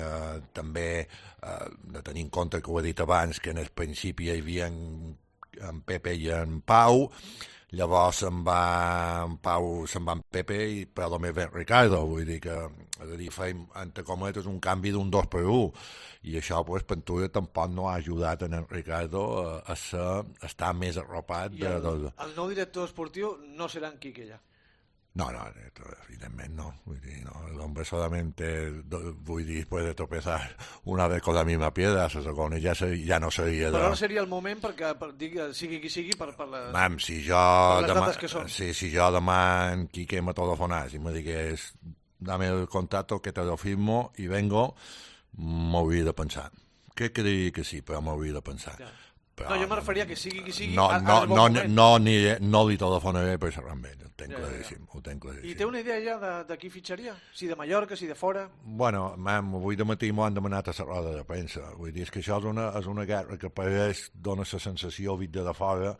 també de tenir en compte que ho he dit abans, que en el principi hi havia en Pepe i en Pau, llavors se'n va en Pepe i per a més en Ricardo, vull dir que feim, entre cometes, un canvi d'un 2-1, i això pues, Pentura tampoc no ha ajudat en Ricardo a estar més arropat. I el nou director esportiu no serà en Quique ja. No, evidentemente no. El hombre solamente, puede tropezar una vez con la misma piedra, ja no seria... Però no seria el moment perquè sigui qui sigui per les si jo dates que són. Si jo demà en Quique me telefonàs i me digués dame el contacto que te lo firmo y vengo, m'hauria de pensar. Crec que diria que sí, però m'hauria de pensar. Però, no, jo me referia que sigui qui sigui no li telefonaré per xerrar amb ell, ho tenc claríssim. I té una idea ja de qui fitxaria? Si de Mallorca, si de fora? Bueno, avui de matí m'ho han demanat a la roda de premsa, vull dir, és que això és una guerra que pareix, dona la sensació vista de fora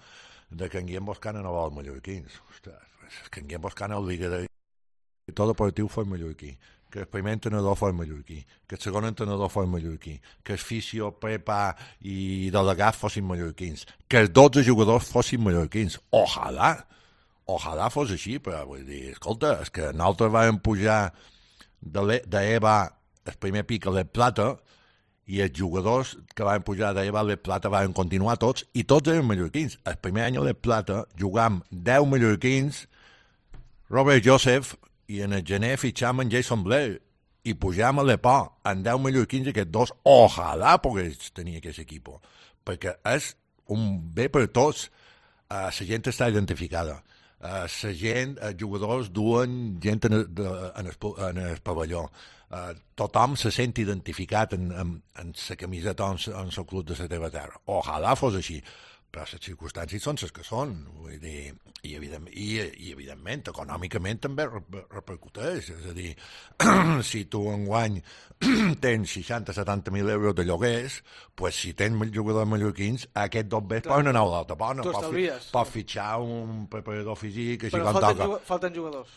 de que en Guillem Boscana no vol mallorquins. Ostres, és que en Guillem Boscana el liga tot deportiu fos mallorquí, que el primer entrenador fos mallorquí, que el segon entrenador fos mallorquí, que el fisio, prepa i delegat fossin mallorquins, que els 12 jugadors fossin mallorquins. Ojalà fos així, però vull dir, escolta, és que nosaltres vam pujar d'EVA el primer pic a l'El Plata i els jugadors que van pujar d'EVA a l'El Plata van continuar tots, i tots eren mallorquins. El primer any a l'El Plata jugam 10 mallorquins, Robert Joseph, i en el gener fitxam en Jason Blair i pujam a l'EPO en 10 mallorquins, aquests dos, ojalà pogués tenir aquest equip, perquè és un bé per tots. La gent està identificada, la gent, els jugadors duen gent en el pavelló, tothom se sent identificat en la camiseta en el club de la teva terra. Ojalà fos així, però les circumstàncies són les que són, vull dir, i evidentment, econòmicament també repercuteix, és a dir, si tu enguany tens 60-70.000 euros de lloguers, pues si tens jugadors mallorquins, aquests dos bés poden anar a l'altra bona, pots fitxar un preparador físic, així com toca. Però falten jugadors.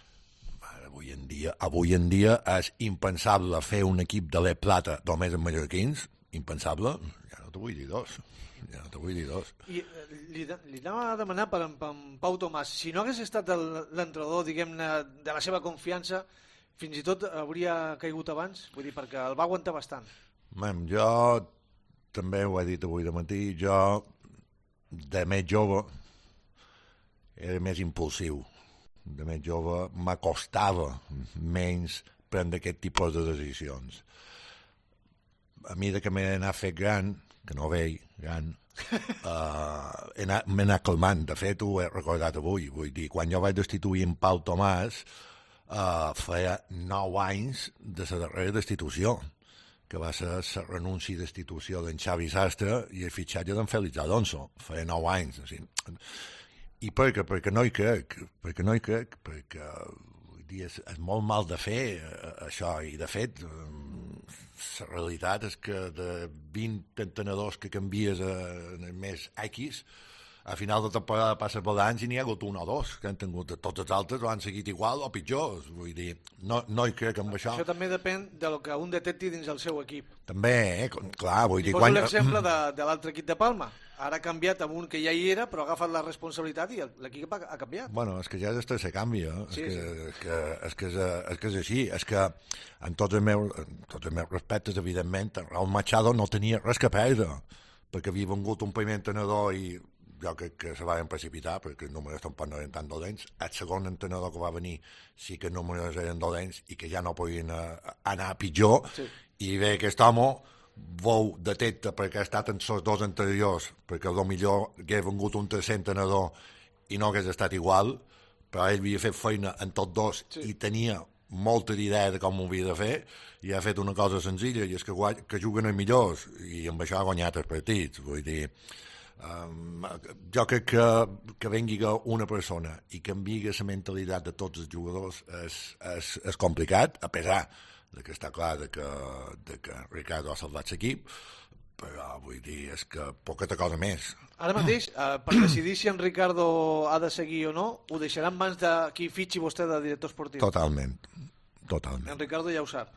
Avui en dia és impensable fer un equip de l'El Plata només amb mallorquins, impensable, ja no t'ho vull dir dos. I li anava a demanar per en Pau Tomàs, si no hagués estat l'entrenador, diguem-ne, de la seva confiança, fins i tot hauria caigut abans? Vull dir, perquè el va aguantar bastant. Jo també ho he dit avui de matí, jo de més jove era més impulsiu, de més jove m'acostava menys prendre aquest tipus de decisions. A mi que m'he anat fet gran, que no veig gran, m'he anat calmant. De fet, ho he recordat avui. Vull dir, quan jo vaig destituir en Pau Tomàs, feia 9 anys de la darrera destitució, que va ser la renúncia i destitució d'en Xavi Sastre i el fitxatge d'en Félix Alonso. Feia 9 anys. Així. I perquè no hi crec, perquè vull dir, és molt mal de fer això, i de fet la realitat és que de 20 entrenadors que canvies en el mes X, a final de temporada passa balanç i n'hi ha hagut un o dos que han tingut, tots els altres ho han seguit igual o pitjor, vull dir, no hi crec amb això. Això també depèn del que un detecti dins el seu equip. També, clar, vull dir... Poso l'exemple de l'altre equip de Palma. Ara ha canviat amb un que ja hi era, però ha agafat la responsabilitat i l'equip ha canviat. Bueno, és que ja és el tercer canvi, és que és així, és que en tots els meus respectes, evidentment, Raúl Machado no tenia res que perdre, perquè havia vengut un primer entrenador i jo crec que se van precipitar, perquè els números tampoc no eren tan dolents. El segon entrenador que va venir sí que els números eren dolents i que ja no podien anar pitjor, i bé, aquest home vau detecta perquè ha estat en els dos anteriors, perquè millor hagués vengut un tercer entrenador i no hagués estat igual, però ell havia fet feina en tots dos i tenia molta idea de com ho havia de fer i ha fet una cosa senzilla, i és que juguen els millors, i amb això ha guanyat els partits. Vull dir, jo crec que vengui una persona i canviï la mentalitat de tots els jugadors és complicat, a pesar de que està clar de que Ricardo ha salvat l'equip, però vull dir, és que poqueta cosa més. Ara mateix, per decidir si en Ricardo ha de seguir o no, ho deixarà en mans de qui fitxi vostè de director esportiu? Totalment. En Ricardo ja ho sap.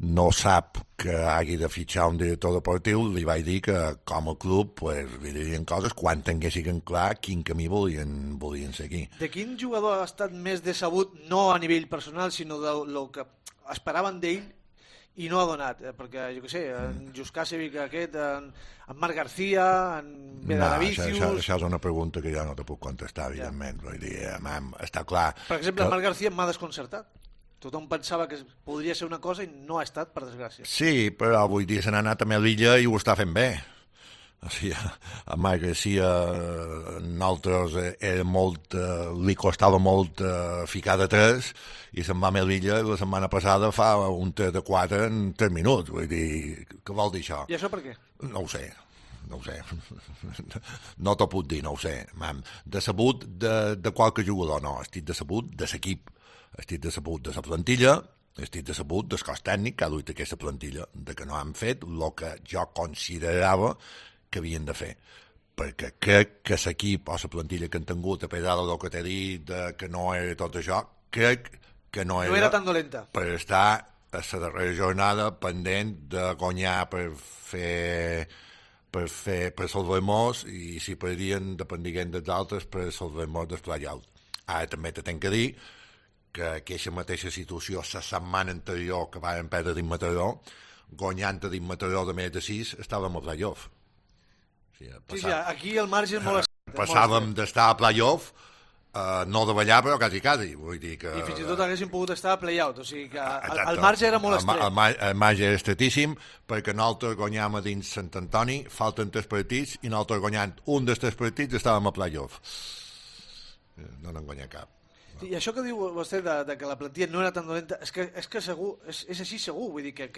No sap que hagi de fitxar un director deportiu, li vaig dir que com a club pues, li dirien coses quan tinguessin clar quin camí volien seguir. De quin jugador ha estat més decebut, no a nivell personal, sinó del que esperaven d'ell i no ha donat? Perquè, jo què sé, en Juskasevic aquest, en Marc García, en Bedaravicius... No, això és una pregunta que jo no te puc contestar, evidentment. Vull dir, està clar... Per exemple, Marc García m'ha desconcertat. Tothom pensava que podria ser una cosa i no ha estat, per desgràcia. Sí, però vull dir, se n'ha anat a Melilla i ho està fent bé. O sigui, a Marc Garcia nosaltres li costava molt ficar de 3 i se'n va a Melilla i la setmana passada fa un 3 de 4 en 3 minuts. Vull dir, què vol dir això? I això per què? No ho sé. No t'ho puc dir, no ho sé. Decebut de qualque jugador, no. Estic decebut de l'equip. Estic decebut de la plantilla, estic decebut del cos tècnic que ha duit aquesta plantilla, de que no han fet el que jo considerava que havien de fer, perquè crec que l'equip o la plantilla que han tingut, a pesar del que t'he dit, que no era tot això, crec que no era tan dolenta per estar a la darrera jornada pendent de guanyar per salvar-nos, i si perdien dependien dels altres per salvar-nos del play-out. Ara també t'he de dir que aquesta mateixa situació la setmana anterior que varen perdre d'Immataró, guanyant d'Immataró de més de 6, estàvem a play-off. Sí, aquí el marge és molt... Passàvem d'estar a play-off, no de ballar, però quasi. Vull dir que... I fins i tot haguéssim pogut estar a play-out, o sigui que el marge era molt estret. El marge era estretíssim, perquè nosaltres guanyàvem a dins Sant Antoni, falten 3 partits, i nosaltres guanyant un dels 3 partits estàvem a play-off. No n'han guanyat cap. I això que diu vostè de que la plantilla no era tan dolenta, és que segur, és així segur, vull dir que el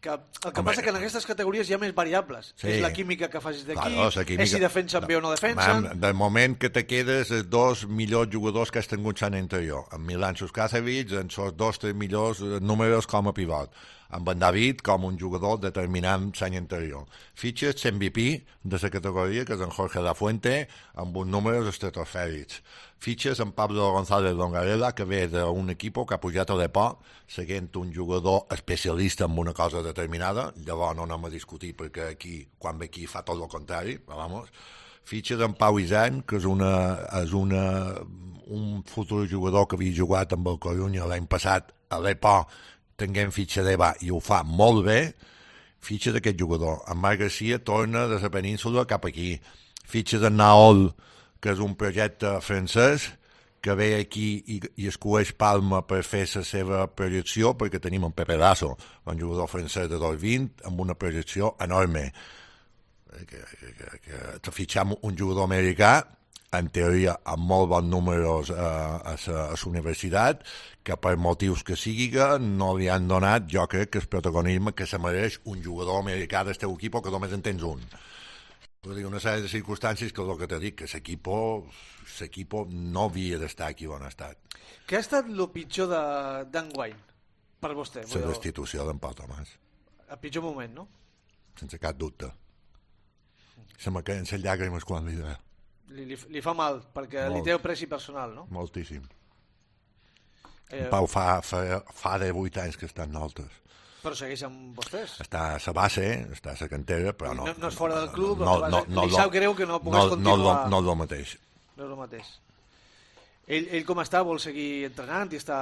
que passa que en aquestes categories hi ha més variables. Sí. És la química que facis d'equip, és si defensen bé o no defensen... Del moment que te quedes els 2 millors jugadors que has tingut l'any anterior, en Milan Juskasevic, en els 2-3 millors números com a pivot, amb en David com un jugador determinant l'any anterior. Fitxes MVP de la categoria, que és en Jorge La Fuente, amb uns números estratosfèrics. Fitxes en Pablo González Longarela, que ve d'un equip que ha pujat a l'EPO, seguint un jugador especialista en una cosa determinada. Llavors no anem a discutir, perquè aquí, quan ve aquí, fa tot el contrari. Fitxes en Pau Isern, que és un futur jugador que havia jugat amb el Corunya l'any passat a l'EPO, tinguem fitxa d'EVA i ho fa molt bé. Fitxa d'aquest jugador. En Marc Garcia torna de la península cap aquí. Fitxa d'en Naol, que és un projecte francès que ve aquí i escueix Palma per fer la seva projecció, perquè tenim un Pepe Lasso, un jugador francès de 2.20 amb una projecció enorme. Que fitxam un jugador americà, en teoria amb molt bons números a la universitat, que per motius que sigui no li han donat, jo crec, que el protagonisme que se mereix un jugador americà del teu equip, que només en tens un. Una sèrie de circumstàncies que el que t'he dit, que l'equip no havia d'estar aquí on ha estat. Què ha estat el pitjor d'enguany per vostè? La destitució d'en Pau Tomàs. El pitjor moment, no? Sense cap dubte. Se me queden les llàgrimes quan li deia. Li fa mal, perquè li té preci personal, no? Moltíssim. En Pau fa 18 anys que està en nosaltres. Però segueix amb vostès. Està a la base, està a la cantera, però no... No és fora del club, li sap greu que no pogués continuar... No és el mateix. No és el mateix. Ell com està? Vol seguir entrenant i està...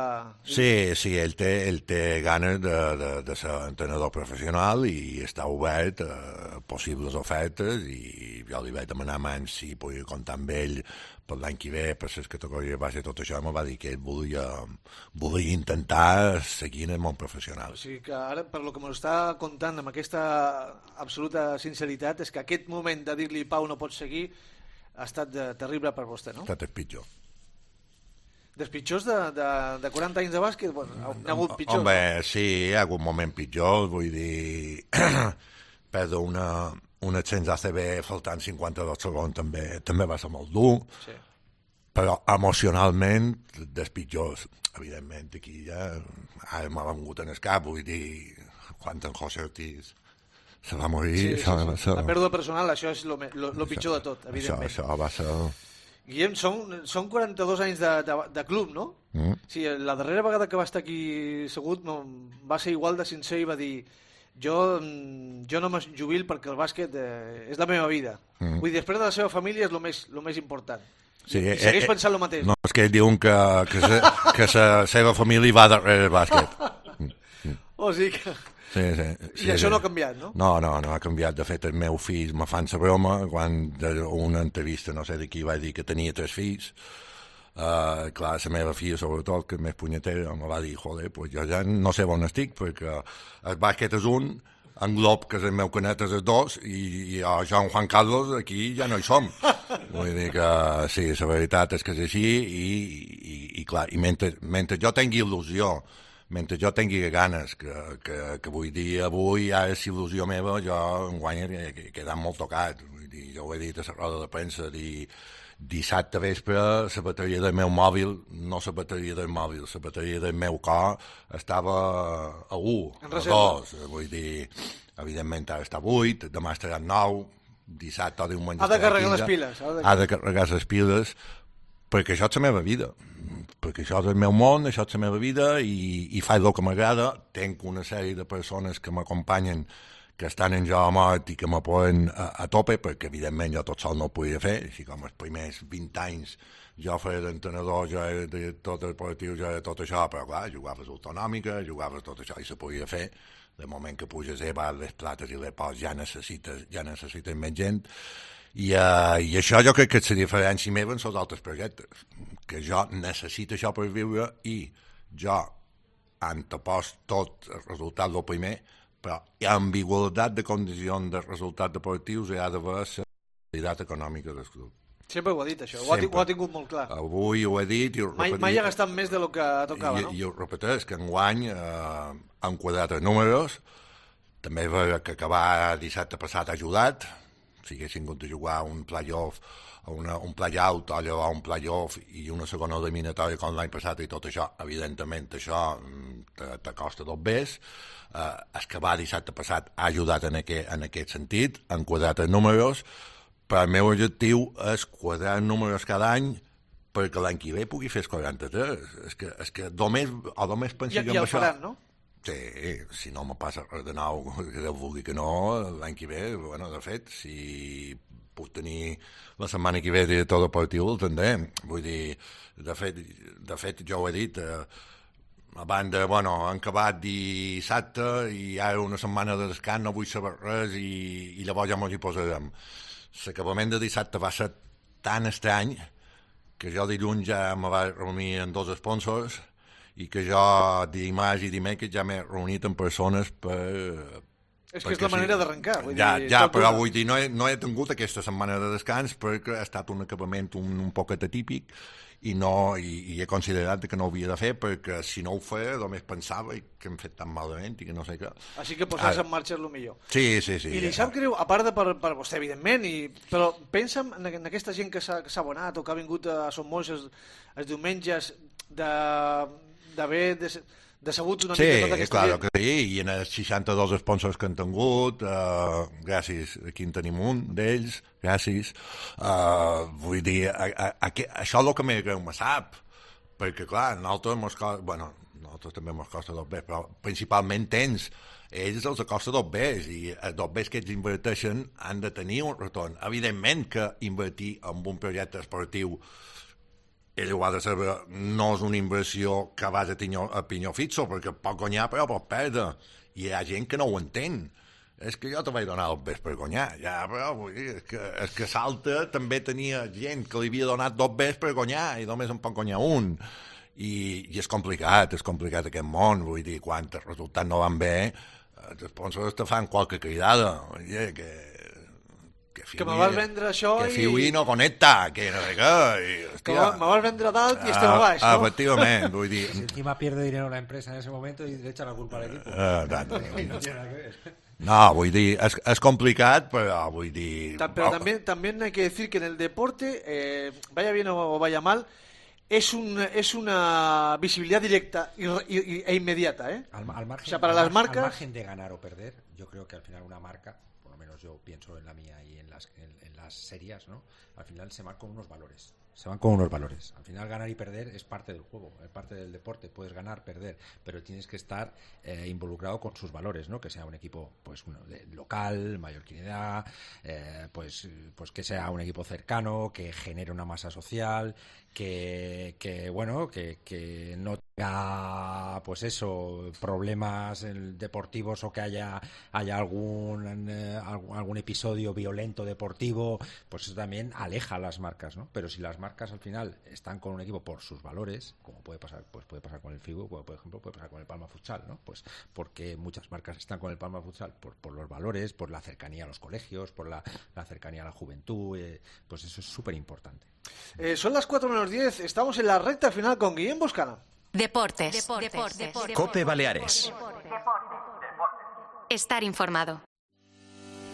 Sí, ell té ganes de ser entrenador professional i està obert a possibles ofertes, i jo li vaig demanar abans si podia comptar amb ell per l'any que ve, per les categories base, tot això, em va dir que ell volia intentar seguir en el món professional. O sigui que ara, per lo que m'ho està contant amb aquesta absoluta sinceritat, és que aquest moment de dir-li Pau no pots seguir ha estat terrible per vostè, no? Ha estat el pitjor. Dels pitjors de 40 anys de bàsquet, bueno, n'hi ha hagut pitjors. Home, sí, hi ha hagut moments pitjors, vull dir, perdre un ascens ACB faltant 52 segons també va ser molt dur, sí. Però emocionalment, dels pitjors, evidentment, aquí ja ara m'ha vengut en el cap, vull dir, quan en José Ortiz se va morir... Sí. La pèrdua personal, això és el pitjor de tot, evidentment. Això va ser... Guillem, són 42 anys de club, no? Sí, la darrera vegada que va estar aquí segut va ser igual de sincer i va dir jo no me jubil perquè el bàsquet és la meva vida. Vull dir, després de la seva família és el més important. Sí, I segueix pensant el mateix. No, és que ell diuen que la seva família va darrere el bàsquet. O sigui que... Sí. I això no ha canviat, no? No ha canviat. De fet, el meu fill me fan la broma quan una entrevista, no sé de qui, va dir que tenia 3 fills. Clar, la meva filla, sobretot, que és més punyetera, me va dir, joder, pues jo ja no sé on estic, perquè el bàsquet és un, en Glob, que és el meu canet, és el 2, i jo, en Juan Carlos, aquí ja no hi som. Vull dir que sí, la veritat és que és així, i clar, i mentre jo tingui il·lusió, mentre jo tingui ganes, que vull dir avui, ara és il·lusió meva, jo enguany he quedat molt tocat. Vull dir, jo ho he dit a la roda de premsa, dissabte vespre la bateria del meu mòbil, no la bateria del mòbil, la bateria del meu cor estava a 1, a 2. Vull dir, evidentment ara està a 8, demà estarà a 9, dissabte o diumenge estarà a 15. Ha de carregar les piles. Ha de carregar les piles, perquè això és la meva vida. Perquè això és el meu món, això és la meva vida i faig el que m'agrada. Tenc una sèrie de persones que m'acompanyen, que estan en jo a mort i que m'apoyen a tope, perquè evidentment jo tot sol no ho podia fer, així com els primers 20 anys jo feia d'entrenador, jo era de tot el esportiu, jo era tot això, però clar, jugaves autonòmica, jugaves tot això i se podia fer. De moment que puges les plates i les pots ja necessites més gent. I això jo crec que és la diferència meva en els altres projectes, que jo necessito això per viure i jo antepost tot el resultat del primer, però amb igualtat de condicions de resultats deportius hi ha d'haver la realitat econòmica del club. Sempre ho ha dit, això, ho ha tingut molt clar. Avui ho he dit i ho repetiré. Mai ha gastat més del que tocava, no? I ho repeteix, que enguany han quadrat els números, també que acabar dissabte passat ha ajudat. Si haguessin hagut de jugar un play-off, un play-out o allò, un play-off i una segona eliminatòria com l'any passat i tot això, evidentment això t'acosta 2 bes. El que va dissabte passat ha ajudat en aquest sentit, han quadrat els números, però el meu objectiu és quadrar els números cada any perquè l'any que ve pugui fer els 43. És que només penso jo en això. I el faran, no? Sí, si no me passa res de nou, que Déu vulgui que no, l'any que ve, bueno, de fet, si puc tenir la setmana que ve director deportiu, el tindrem. Vull dir, de fet jo ho he dit, a banda, bueno, han acabat dissabte i ara una setmana de descans, no vull saber res i llavors ja mos hi posarem. L'acabament de dissabte va ser tan estrany que jo dilluns ja me vaig reunir amb 2 sponsors i que jo dimarts i dimecres ja m'he reunit amb persones per... És que és la manera d'arrencar. Ja, però vull dir, no he tingut aquesta setmana de descans perquè ha estat un acabament un poquet atípic i he considerat que no ho havia de fer perquè si no ho feia només pensava que hem fet tan malament i que no sé què. Així que posar-se en marxa és el millor. Sí. I li sap greu, a part de per vostè, evidentment, però pensa en aquesta gent que s'ha abonat o que ha vingut a Som Molts els diumenges d'haver decebut una mica tota aquesta gent. Sí, clar que sí, i en els 62 sponsors que han tingut, gràcies, aquí en tenim un d'ells, gràcies. Vull dir, això és el que més greu me sap, perquè clar, nosaltres també mos costa 2 bes, però principalment ells els costa 2 bes, i els 2 bes que ells inverteixen han de tenir un retorn. Evidentment que invertir en un projecte esportiu ell ho ha de saber, no és una inversió que vas a pinyó fixo, perquè pot guanyar però pot perdre, i hi ha gent que no ho entén. És que jo te vaig donar 2 bes per guanyar, ja, però vull dir, és que Salta també tenia gent que li havia donat 2 bes per guanyar i només en pot guanyar un, i és complicat aquest món, vull dir, quan els resultats no van bé, els sponsors te fan qualque cridada, vull dir, que Que me vas vendre això que Fiui no connecta, que no sé què. Que me vas vendre dalt i estem a baix, no? Efectivament, vull dir... Si encima pierde dinero la empresa en ese momento y le echa la culpa al equipo. No tiene nada que ver. No, vull dir, és complicat, però vull dir... Pero también hay que decir que en el deporte, vaya bien o vaya mal, es una visibilidad directa e inmediata, ¿eh? Al margen, o sea, para las marcas... Al margen de ganar o perder, yo creo que al final una marca, por lo menos yo pienso en la mía y en las series, ¿no? Al final se van con unos valores. Al final ganar y perder es parte del juego, es parte del deporte. Puedes ganar, perder, pero tienes que estar involucrado con sus valores, ¿no? Que sea un equipo, pues, local, mallorquinidad, pues que sea un equipo cercano, que genere una masa social, que no tenga, pues eso, problemas deportivos o que haya algún episodio violento deportivo, pues eso también aleja a las marcas, ¿no? Pero si las marcas al final están con un equipo por sus valores, como puede pasar con el Figu, por ejemplo, puede pasar con el Palma Futsal, ¿no? Pues porque muchas marcas están con el Palma Futsal por los valores, por la cercanía a los colegios, por la cercanía a la juventud, pues eso es súper importante. Son las 4:10, estamos en la recta final con Guillem Boscana. Deportes. Cope Baleares. Estar informado.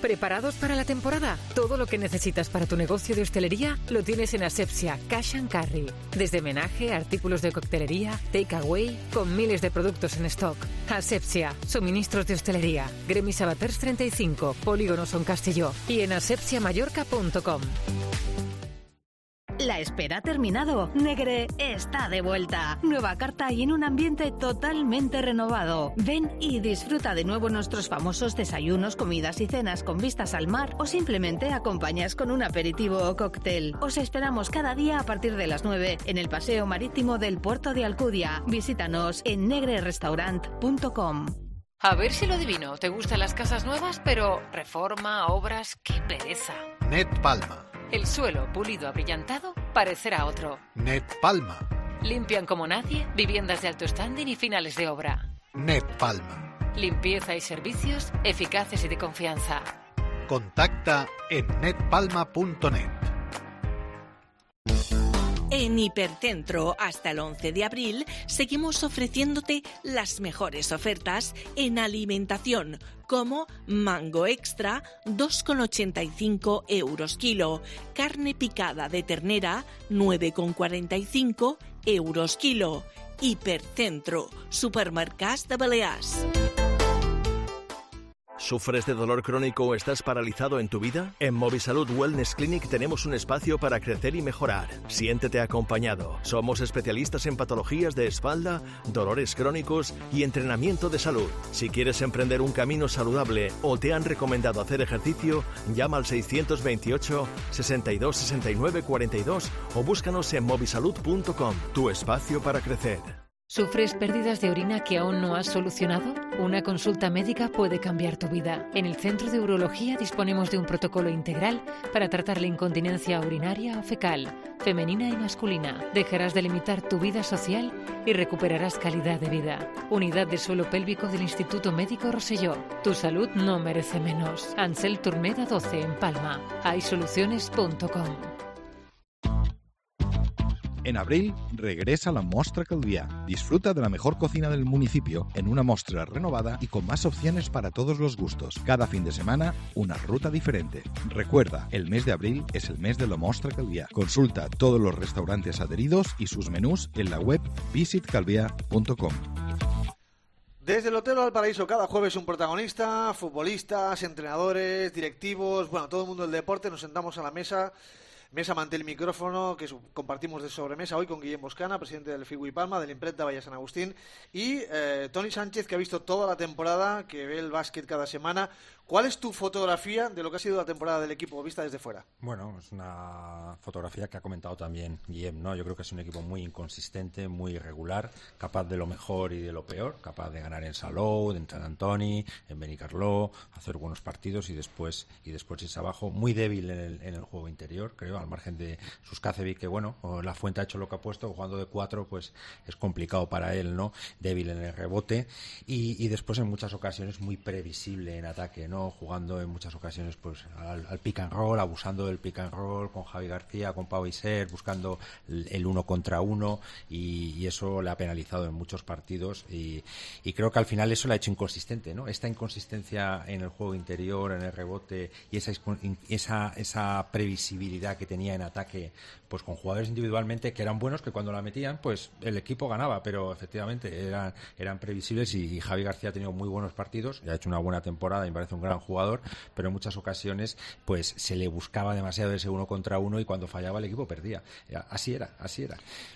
¿Preparados para la temporada? Todo lo que necesitas para tu negocio de hostelería lo tienes en Asepsia Cash & Carry. Desde menaje, artículos de coctelería, takeaway, con miles de productos en stock. Asepsia, suministros de hostelería. Gremi Sabaters 35, Polígono Son Castelló y en asepsiamallorca.com. La espera ha terminado. Negre está de vuelta. Nueva carta y en un ambiente totalmente renovado. Ven y disfruta de nuevo nuestros famosos desayunos, comidas y cenas con vistas al mar o simplemente acompañas con un aperitivo o cóctel. Os esperamos cada día a partir de las 9 en el Paseo Marítimo del Puerto de Alcudia. Visítanos en negrerestaurant.com. A ver si lo adivino. ¿Te gustan las casas nuevas? Pero reforma, obras, qué pereza. Net Palma. El suelo pulido abrillantado parecerá otro. Net Palma. Limpian como nadie, viviendas de alto standing y finales de obra. Net Palma. Limpieza y servicios eficaces y de confianza. Contacta en netpalma.net. En Hipercentro, hasta el 11 de abril, seguimos ofreciéndote las mejores ofertas en alimentación, como mango extra, 2,85 euros kilo, carne picada de ternera, 9,45 euros kilo. Hipercentro, supermercats de Balears. ¿Sufres de dolor crónico o estás paralizado en tu vida? En Movisalud Wellness Clinic tenemos un espacio para crecer y mejorar. Siéntete acompañado. Somos especialistas en patologías de espalda, dolores crónicos y entrenamiento de salud. Si quieres emprender un camino saludable o te han recomendado hacer ejercicio, llama al 628 62 69 42 o búscanos en movisalud.com. Tu espacio para crecer. ¿Sufres pérdidas de orina que aún no has solucionado? Una consulta médica puede cambiar tu vida. En el Centro de Urología disponemos de un protocolo integral para tratar la incontinencia urinaria o fecal, femenina y masculina. Dejarás de limitar tu vida social y recuperarás calidad de vida. Unidad de suelo pélvico del Instituto Médico Rosselló. Tu salud no merece menos. Ansel Turmeda 12 en Palma. Haysoluciones.com. En abril regresa la Mostra Calviá. Disfruta de la mejor cocina del municipio en una mostra renovada y con más opciones para todos los gustos. Cada fin de semana, una ruta diferente. Recuerda, el mes de abril es el mes de la Mostra Calviá. Consulta todos los restaurantes adheridos y sus menús en la web visitcalvia.com. Desde el Hotel Valparaíso, cada jueves un protagonista, futbolistas, entrenadores, directivos, bueno, todo el mundo del deporte, nos sentamos a la mesa mante el micrófono que compartimos de sobremesa hoy con Guillem Boscana, presidente del Figu y Palma, del Imprenta Valle San Agustín, y Toni Sánchez, que ha visto toda la temporada, que ve el básquet cada semana. ¿Cuál es tu fotografía de lo que ha sido la temporada del equipo vista desde fuera? Bueno, es una fotografía que ha comentado también Guillem, ¿no? Yo creo que es un equipo muy inconsistente, muy irregular, capaz de lo mejor y de lo peor, capaz de ganar en Salou, en Sant Antoni, en Benicarló, hacer buenos partidos y después irse abajo, muy débil en el juego interior, creo. al margen de Suscacevic, que bueno, la Fuente ha hecho lo que ha puesto, jugando de 4, pues es complicado para él, ¿no? Débil en el rebote y después en muchas ocasiones muy previsible en ataque, ¿no? Jugando en muchas ocasiones pues al pick and roll, abusando del pick and roll con Javi García, con Pau Isser, buscando el 1 contra 1 y eso le ha penalizado en muchos partidos y creo que al final eso le ha hecho inconsistente, ¿no? Esta inconsistencia en el juego interior, en el rebote y esa previsibilidad que tenía en ataque, pues con jugadores individualmente que eran buenos, que cuando la metían pues el equipo ganaba, pero efectivamente eran previsibles y Javi García ha tenido muy buenos partidos y ha hecho una buena temporada y me parece un gran jugador, pero en muchas ocasiones pues se le buscaba demasiado ese 1 contra 1 y cuando fallaba el equipo perdía. Así era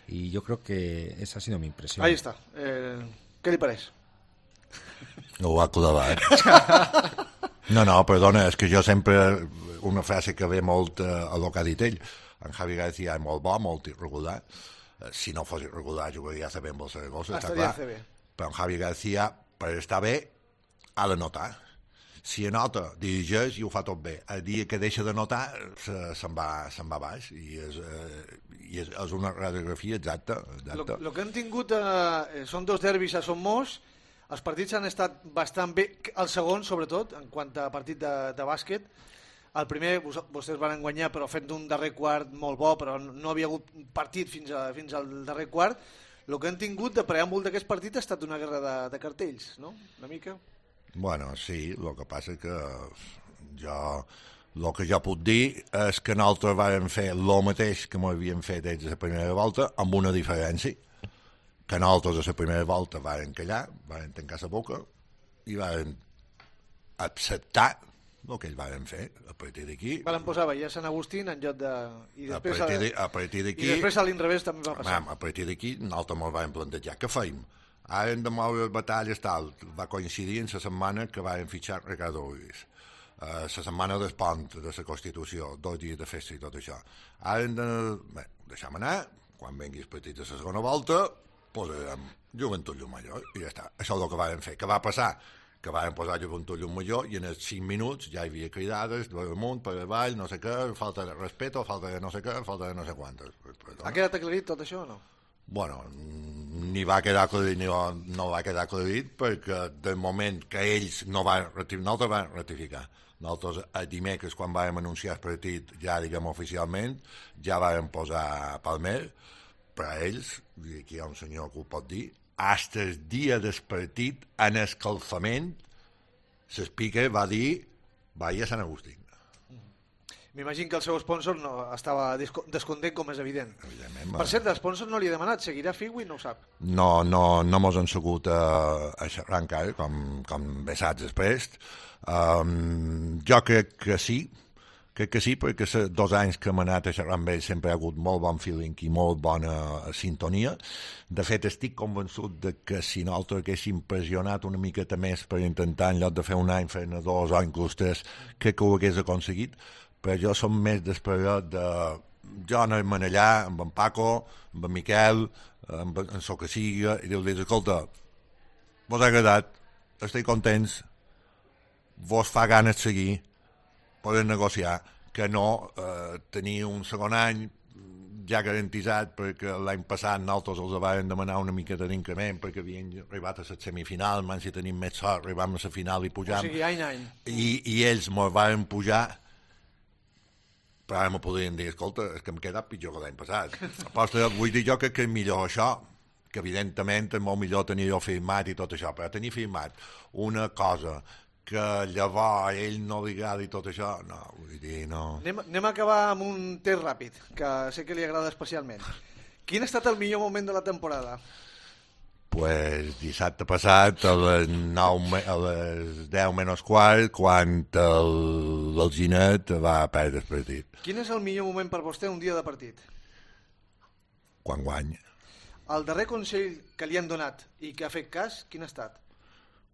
y yo creo que esa ha sido mi impresión. Ahí está. Què li pareix? Ho ha clavat. No, perdona, és que jo sempre una frase que ve molt a lo que ha dit ell. En Javi García és molt bo, molt irregular. Si no fos irregular jugaria a CB amb el Saragossa, està clar. Però en Javi García, per estar bé, ha de notar. Si anota, dirigeix i ho fa tot bé. El dia que deixa de notar se'n va baix i és una radiografia exacta. El que hem tingut són 2 derbis a Son Mos. Els partits han estat bastant bé, el segon sobretot, en quant a partit de bàsquet. El primer vostès van guanyar però fent un darrer quart molt bo, però no havia hagut partit fins al darrer quart. El que hem tingut de preàmbul d'aquest partit ha estat una guerra de cartells, no? Una mica. Bueno, sí, el que passa que el que jo puc dir és que nosaltres vam fer el mateix que m'havien fet ells a la primera volta, amb una diferència, que nosaltres a la primera volta vam callar, vam tancar la boca i vam acceptar el que ells van fer. A partir d'aquí... Van posar a Sant Agustín en lloc de... A partir d'aquí... I després a l'inrevés també va passar. A partir d'aquí nosaltres ens vam plantejar què feim. Ara hem de moure les batalles tal. Va coincidir en la setmana que vam fitxar Ricardo Ruiz. La setmana del pont de la Constitució, 2 dies de festa i tot això. Ara hem de... Bé, deixem anar, quan vengui el partit de la segona volta, posarem Joventut Llumajor i ja està. Això és el que vam fer. Què va passar? Que vam posar Joventut Llumajor i en els 5 minuts ja hi havia cridades per amunt, per avall, no sé què, falta de respeto, falta de no sé què, falta de no sé quantes. Ha quedat aclarit tot això o no? Bueno, ni va quedar aclarit ni no va quedar aclarit perquè del moment que ells nosaltres van ratificar. Nosaltres el dimecres, quan vam anunciar el partit ja, diguem, oficialment, ja vam posar Palmer, però ells, i aquí hi ha un senyor que ho pot dir, fins el dia del partit, en escalfament, l'Speaker va dir vaya a Sant Agustín. M'imagino que el seu sponsor no estava descontent, com és evident. Evidentment. Per cert, l'sponsor no li ha demanat, seguirà Figui? No ho sap. No mos han sabut a xerrar encara, com bé saps després. Jo crec que sí, perquè 2 anys que hem anat a xerrar amb ells sempre hi ha hagut molt bon feeling i molt bona sintonia. De fet, estic convençut de que si nosaltres haguéssim pressionat una miqueta més per intentar, en lloc de fer un any, fer-ne 2 o inclús 3, crec que ho hagués aconseguit, però jo som més d'esperat de... Jo anar-me'n allà amb en Paco, amb en Miquel, amb en el que sigui, i dir-los, escolta, vos ha agradat, estic contents, vos fa ganes de seguir, poden negociar, que no tenir un segon any ja garantitzat, perquè l'any passat nosaltres els vam demanar una miqueta d'increment perquè havien arribat a la semifinal, si tenim més sort, arribam a la final i pujam. O sigui, any. I ells mos van pujar, però ara me podrien dir, escolta, és que hem quedat pitjor que l'any passat. Aposta, vull dir jo que és millor això, que evidentment és molt millor tenir-ho firmat i tot això, però tenir firmat una cosa que llavors a ell no li agrada i tot això, no, vull dir, no. Anem a acabar amb un test ràpid, que sé que li agrada especialment. Quin ha estat el millor moment de la temporada? Pues dissabte passat a les 10 menys quart, quan l'Alginet va perdre el partit. Quin és el millor moment per vostè un dia de partit? Quan guanya. El darrer consell que li han donat i que ha fet cas, quin ha estat?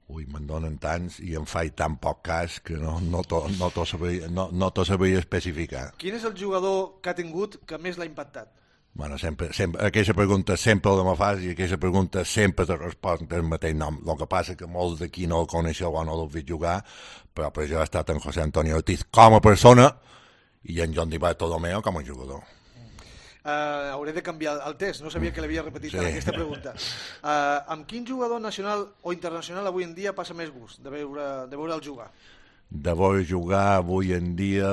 Ui, me'n donen tants i em faig tan poc cas que no t'ho sabria especificar. Quin és el jugador que ha tingut que més l'ha impactat? Bueno, sempre, aquesta pregunta sempre la me fas i aquesta pregunta sempre te respon el mateix nom. El que passa que molts d'aquí no el coneixeu o no l'heu vist jugar, però per això ha estat en José Antonio Ortiz com a persona i en Joan Di Bartolomeo com a jugador. Hauré de canviar el test, no sabia que l'havia repetit en aquesta pregunta. Amb quin jugador nacional o internacional avui en dia passa més gust de veure'l jugar? De veure jugar avui en dia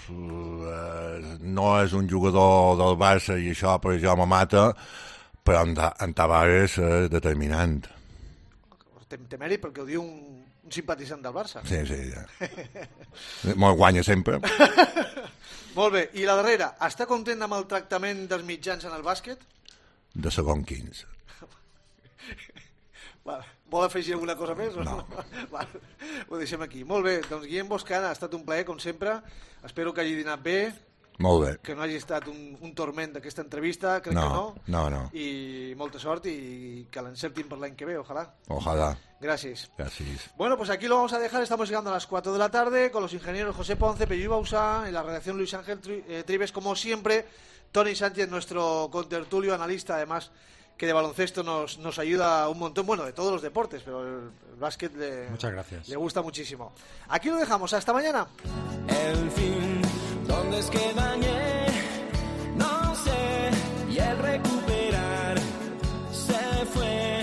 no és un jugador del Barça i això per jo me mata, però en Tavares és determinant. Té mèrit perquè ho diu un simpatitzant del Barça. Sí, ja. Me'l guanya sempre. Molt bé, i la darrera, està content amb el tractament dels mitjans en el bàsquet? De segon 15. Vol afegir alguna cosa més? No. Ho deixem aquí. Molt bé, doncs Guillem Boscana, ha estat un plaer, com sempre. Espero que hagi dinat bé. Molt bé. Que no hagi estat un torment d'aquesta entrevista, crec que no. No. I molta sort i que l'encertin per l'any que ve, ojalá. Ojalá. Gracias. Bueno, pues aquí lo vamos a dejar. Estamos llegando a las 4 de la tarde con los ingenieros José Ponce, Pello Bausá, en la redacción Luis Ángel Tribes, como siempre. Tony Sánchez, nuestro contertulio, analista, además, que de baloncesto nos ayuda un montón, bueno, de todos los deportes, pero el básquet Muchas gracias. Le gusta muchísimo. Aquí lo dejamos. Hasta mañana. En fin, ¿dónde es que dañé? No sé, y el recuperar se fue.